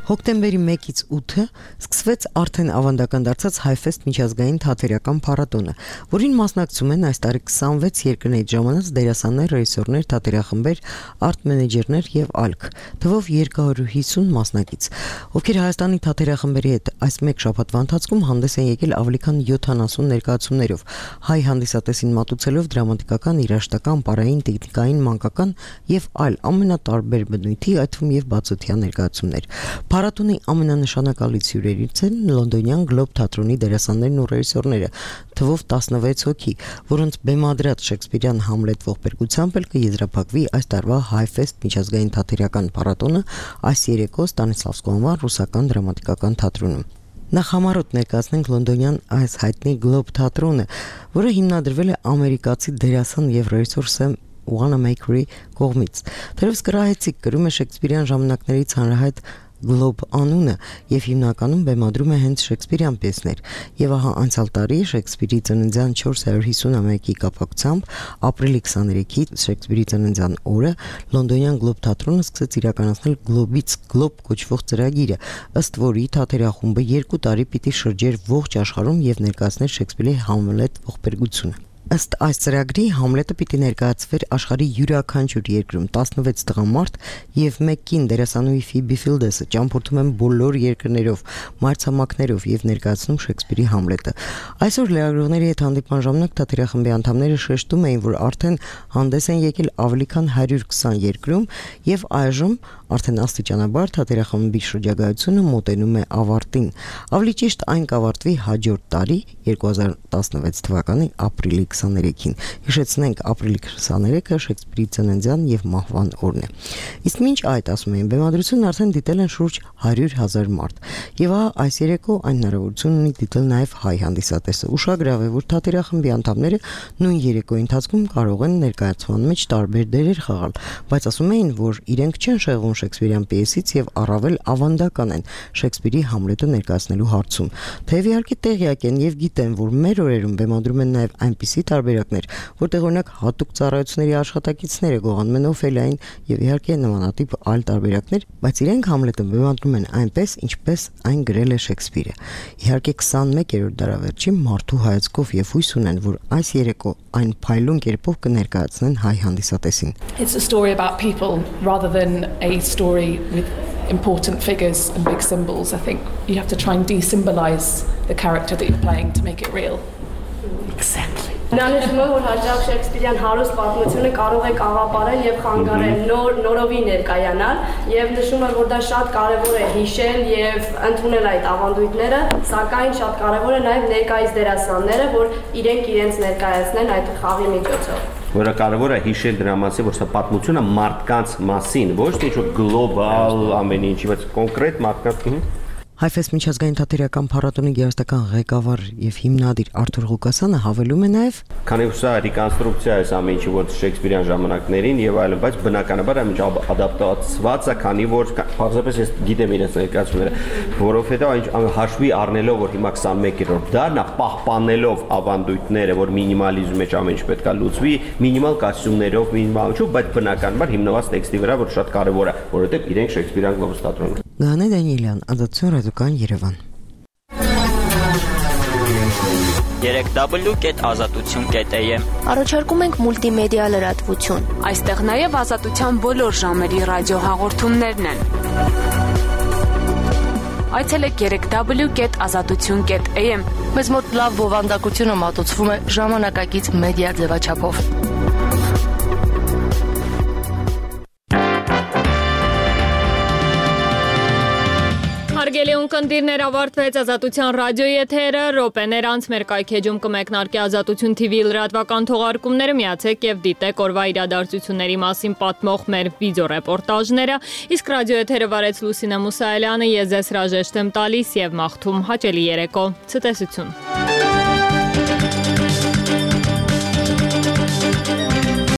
Speaker 15: Հոկտեմբերի 1-ից 8-ը սկսվեց արդեն ավանդական դարձած Հայֆեստ միջազգային թատերական փառատոնը, որին մասնակցում են այս տարի 26 երկրներից ժամանած դերասաններ, ռեժիսորներ, թատերախմբեր, արտ մենեջերներ եւ ԱԼՔ, թվով 250 մասնակից, ովքեր Հայաստանի թատերախմբերի հետ այս մեկ շաբաթվա ընթացքում հանդես են եկել ավելի քան 70 ներկայացումներով, հայ հանդիսատեսին մատուցելով դրամատիկական, երաժշտական, պարային, տեխնիկային, մանկական եւ այլ ամենատարբեր բնույթի, այդ թվում եւ բացօթյա ներկայացումներ։ Փառատոնի ամենանշանակալից հյուրերից են լոնդոնյան Գլոբ թատրոնի դերասաններն ու ռեժիսորները, թվով 16 հոգի, որոնց բեմադրած շեքսպիրյան Համլետ ողբերգությամբ էլ կեզրափակվի այս տարվա Հայֆեստ միջազգային թատերական փառատոնը այս երեկո Ստանիսլավսկու անվան ռուսական դրամատիկական թատրոնում։ Նախ համառոտ ներկայացնենք լոնդոնյան այս հայտնի Գլոբ թատրոնը, որը հիմնադրվել է ամերիկացի դերասան եւ ռեժիսոր Սեմ Wanamaker-ի կողմից։ Թերևս կրահեցիկ կրում է շեքսպիրյան ժամանակներից հանրահայտ Գլոբ անունը եւ հիմնականում բեմադրում է հենց շեքսպիրյան պիեսներ։ Եվ ահա անցյալ տարի Շեքսպիրի ծննդյան 450-ամյակի կապակցությամբ ապրիլի 23-ի Շեքսպիրի ծննդյան օրը լոնդոնյան Գլոբ թատրոնը սկսեց իրականացնել Գլոբից Գլոբ կոչվող ծրագիրը, ըստ որի թատերախումբը 2 տարի պիտի շրջեր ողջ աշխարհում եւ ներկայացներ Շեքսպիրի Համլետ ողբերգությունը։ Ըստ այս ծրագրի Համլետը պիտի ներկայացվեր աշխարհի յուրաքանչյուր երկրում 16 տղամարդ եւ 1 կին դերասանուհի Ֆիբի Ֆիլդեսը ճամփորդում են բոլոր երկրներով, մայրցամաքներով եւ ներկայացնում Շեքսպիրի Համլետը։ Այսօր լրագրողների հետ հանդիպման ժամանակ թատերախմբի անդամները շեշտում էին, որ արդեն հանդես են եկել ավելի քան 120 երկրում եւ այժմ արդեն աստիճանաբար թատերախմբի շրջագայությունը մոտենում է ավարտին։ Ավելի ճիշտ այն կավարտվի հաջորդ տարի 2016 թվականի ապրիլի 23-ին։ Հիշեցնենք, ապրիլի 23-ը Շեքսպիրի ծննդյան եւ մահվան օրն է։ Իսկ մինչ այդ, ասում են, բեմադրությունն արդեն դիտել են շուրջ 100,000 մարդ։ Եվ այս երեկո այն հնարավորություն ունի դիտել նաեւ հայ հանդիսատեսը։ Ուշագրավ է, որ թատերախմբի անդամները նույն երեկոյի ընթացքում կարող են ներկայացման մեջ տարբեր դերեր խաղալ, բայց ասում էին, որ իրենք չեն շեղվում Շեքսպիրյան պիեսից եւ առավել ավանդական են Շեքսպիրի Համլետը ներկայացնելու հարցում։ Թեև իհարկե տեղյակ են եւ գիտեն, որ մեր օրերում բեմադրում են նաեւ այնպիսի տարբերակներ, որտեղ օրինակ հատուկ ծառայությունների աշխատակիցները գողանում են Օֆելիային եւ իհարկե նմանատիպ այլ տարբերակներ, բայց իրենք Համլետը բեմադրում են այնպես, ինչպես այն գրել է Շեքսպիրը։ Իհարկե 21-րդ դարավերջի մարդու հայացքով եւ հույս ունեն, որ այս երեկո այն փայլուն կերպով կներկայացնեն հայ հանդիսատեսին։
Speaker 16: It's a story about people rather than a story with important figures and big symbols. I think you have to try and de-symbolize the character that you're playing to make it real. Exactly.
Speaker 17: Նա նշում է, որ հաճախ Շեքսպիրյան հարուստ պատմությունը կարող է կաղապարել եւ խանգարել նորովի ներկայանալ եւ նշում է, որ դա շատ կարեւոր է հիշել եւ ընդունել այդ ավանդույթները, սակայն շատ կարեւոր է նաեւ ներկայիս դերասանները, որ իրենք իրենց ներկայացնեն այդ խաղի միջոցով։
Speaker 4: որը կարևոր է հիշել դրա մասին, որ սա պատմությունը մարդկանց մասին, ոչ թե ինչ-որ գլոբալ ամեն ինչ, բայց կոնկրետ մարդկանց
Speaker 15: Հայֆես միջազգային թատերական փառատոնի գեղարվեստական ղեկավար եւ հիմնադիր Արթուր Ղուկասյանը հավելում է նաեւ
Speaker 4: քանի որ սա ռեկոնստրուկցիա է ամեն ինչի որ Շեքսպիրյան ժամանակներին եւ այլն, բայց բնականաբար ամեն ինչ ադապտացված է, քանի որ պարզապես ես գիտեմ իրենց ներկայացումները, որովհետեւ հաշվի առնելով որ հիմա 21-րդ դարն է, պահպանելով ավանդույթները, որ մինիմալիզմի մեջ ամեն ինչ պետք է լուծվի, մինիմալ կասյումներով, մինիմալ ինչու, բայց բնականաբար հիմնված տեքստի վրա, որ շատ կարեւոր է, որովհետեւ իրենք Շեքսպիրյան գլոբալ թատրոնն
Speaker 15: Գանե Դանիելյան, Ազատություն ռադիոկայան Երևան
Speaker 5: 3w.azatutun.am
Speaker 14: Առաջարկում ենք մուլտիմեդիա լրատվություն։ Այստեղ նաև ազատության բոլոր ժամերի ռադիոհաղորդումներն են։ Այցելեք 3w.azatutun.am Մեզ մոտ լավ բովանդակությունը մատուցվում է ժամանակակից մեդիա ձևաչափով։
Speaker 1: Հարգելի ունկնդիրներ, ավարտվեց Ազատության ռադիոյի եթերը, րոպեներ անց մեր կայքեջում կմեկնարկի Ազատություն TV լրատվական թողարկումները, միացեք եւ դիտեք օրվա իրադարձությունների մասին պատմող մեր վիդեոռեպորտաժները, իսկ ռադիո եթերը վարեց Լուսինե Մուսայելյանը, ես ձեզ հրաժեշտ եմ տալիս եւ մաղթում հաճելի երեկո, ցտեսություն։